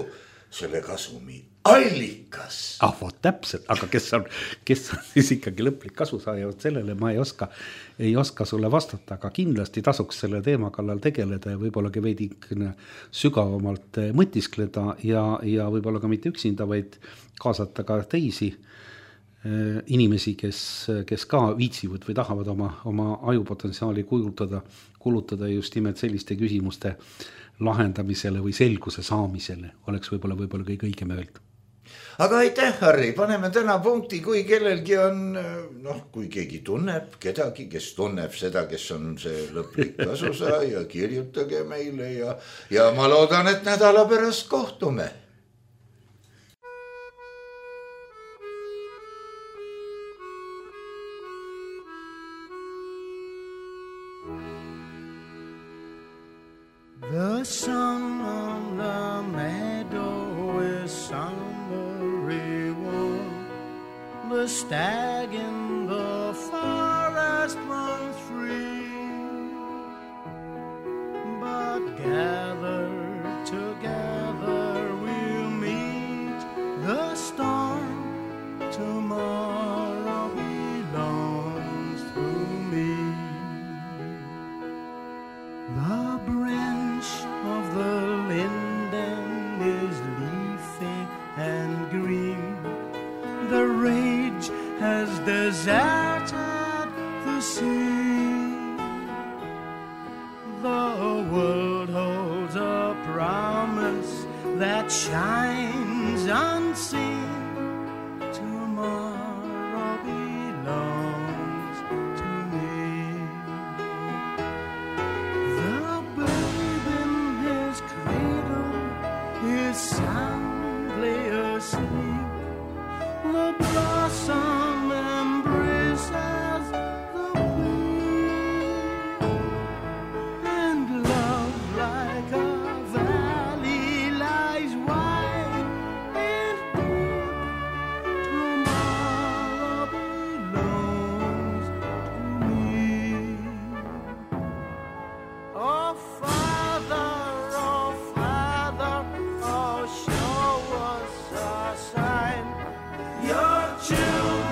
selle kasumi allikas. Ah, vot täpselt, aga kes on, kes on siis ikkagi lõplik kasusaaja, sellele ma ei oska, ei oska sulle vastata, aga kindlasti tasuks selle teema kallal tegeleda ja võib-olla veidi sügavamalt mõtiskleda ja, ja võib-olla ka mitte üksinda, vaid kaasata ka teisi inimesi, kes, kes ka viitsivad või tahavad oma, oma ajupotentsiaali kulutada, kulutada just nimelt selliste küsimuste lahendamisele või selguse saamisele, oleks võib-olla, võib-olla kõige õigem öelda. Aga aitäh, Harri, paneme täna punkti, kui kellelgi on, noh, kui keegi tunneb kedagi, kes tunneb seda, kes on see lõplik kasusaaja, kirjutage meile ja, ja ma loodan, et nädala pärast kohtume. The sun on the meadow is summery warm. The stag in the forest runs free. But gathered together we'll meet the storm. Tomorrow belongs to me. The branch of the linden is leafy and green. The rage has deserted the sea. The world holds a promise that shines unseen. Tomorrow belongs to me. The babe in his cradle is soundly asleep. The blossom embraces the bee, and love like a valley lies wide and deep. Tomorrow belongs to me. Oh Father, oh Father, oh show us a sign. Your children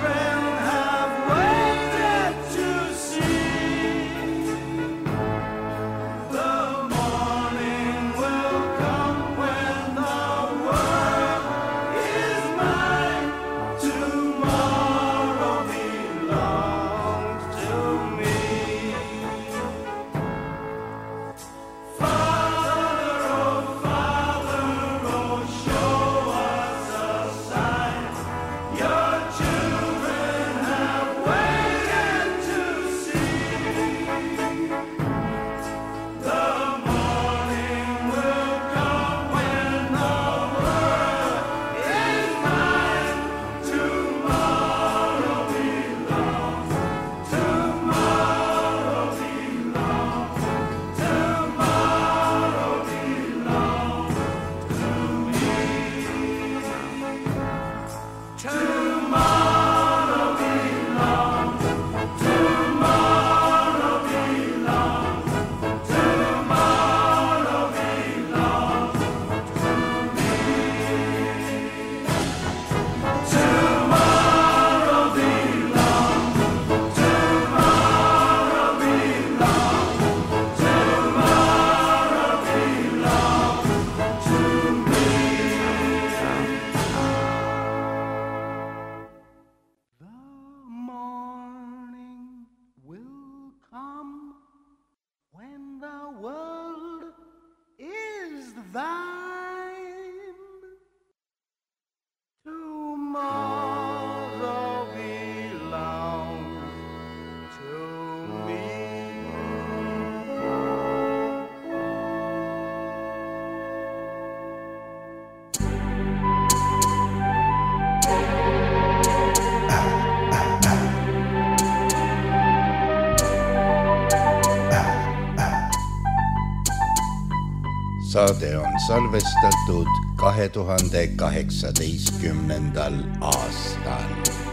saade on salvestatud kahe tuhande kaheksateistkümnendal aastal.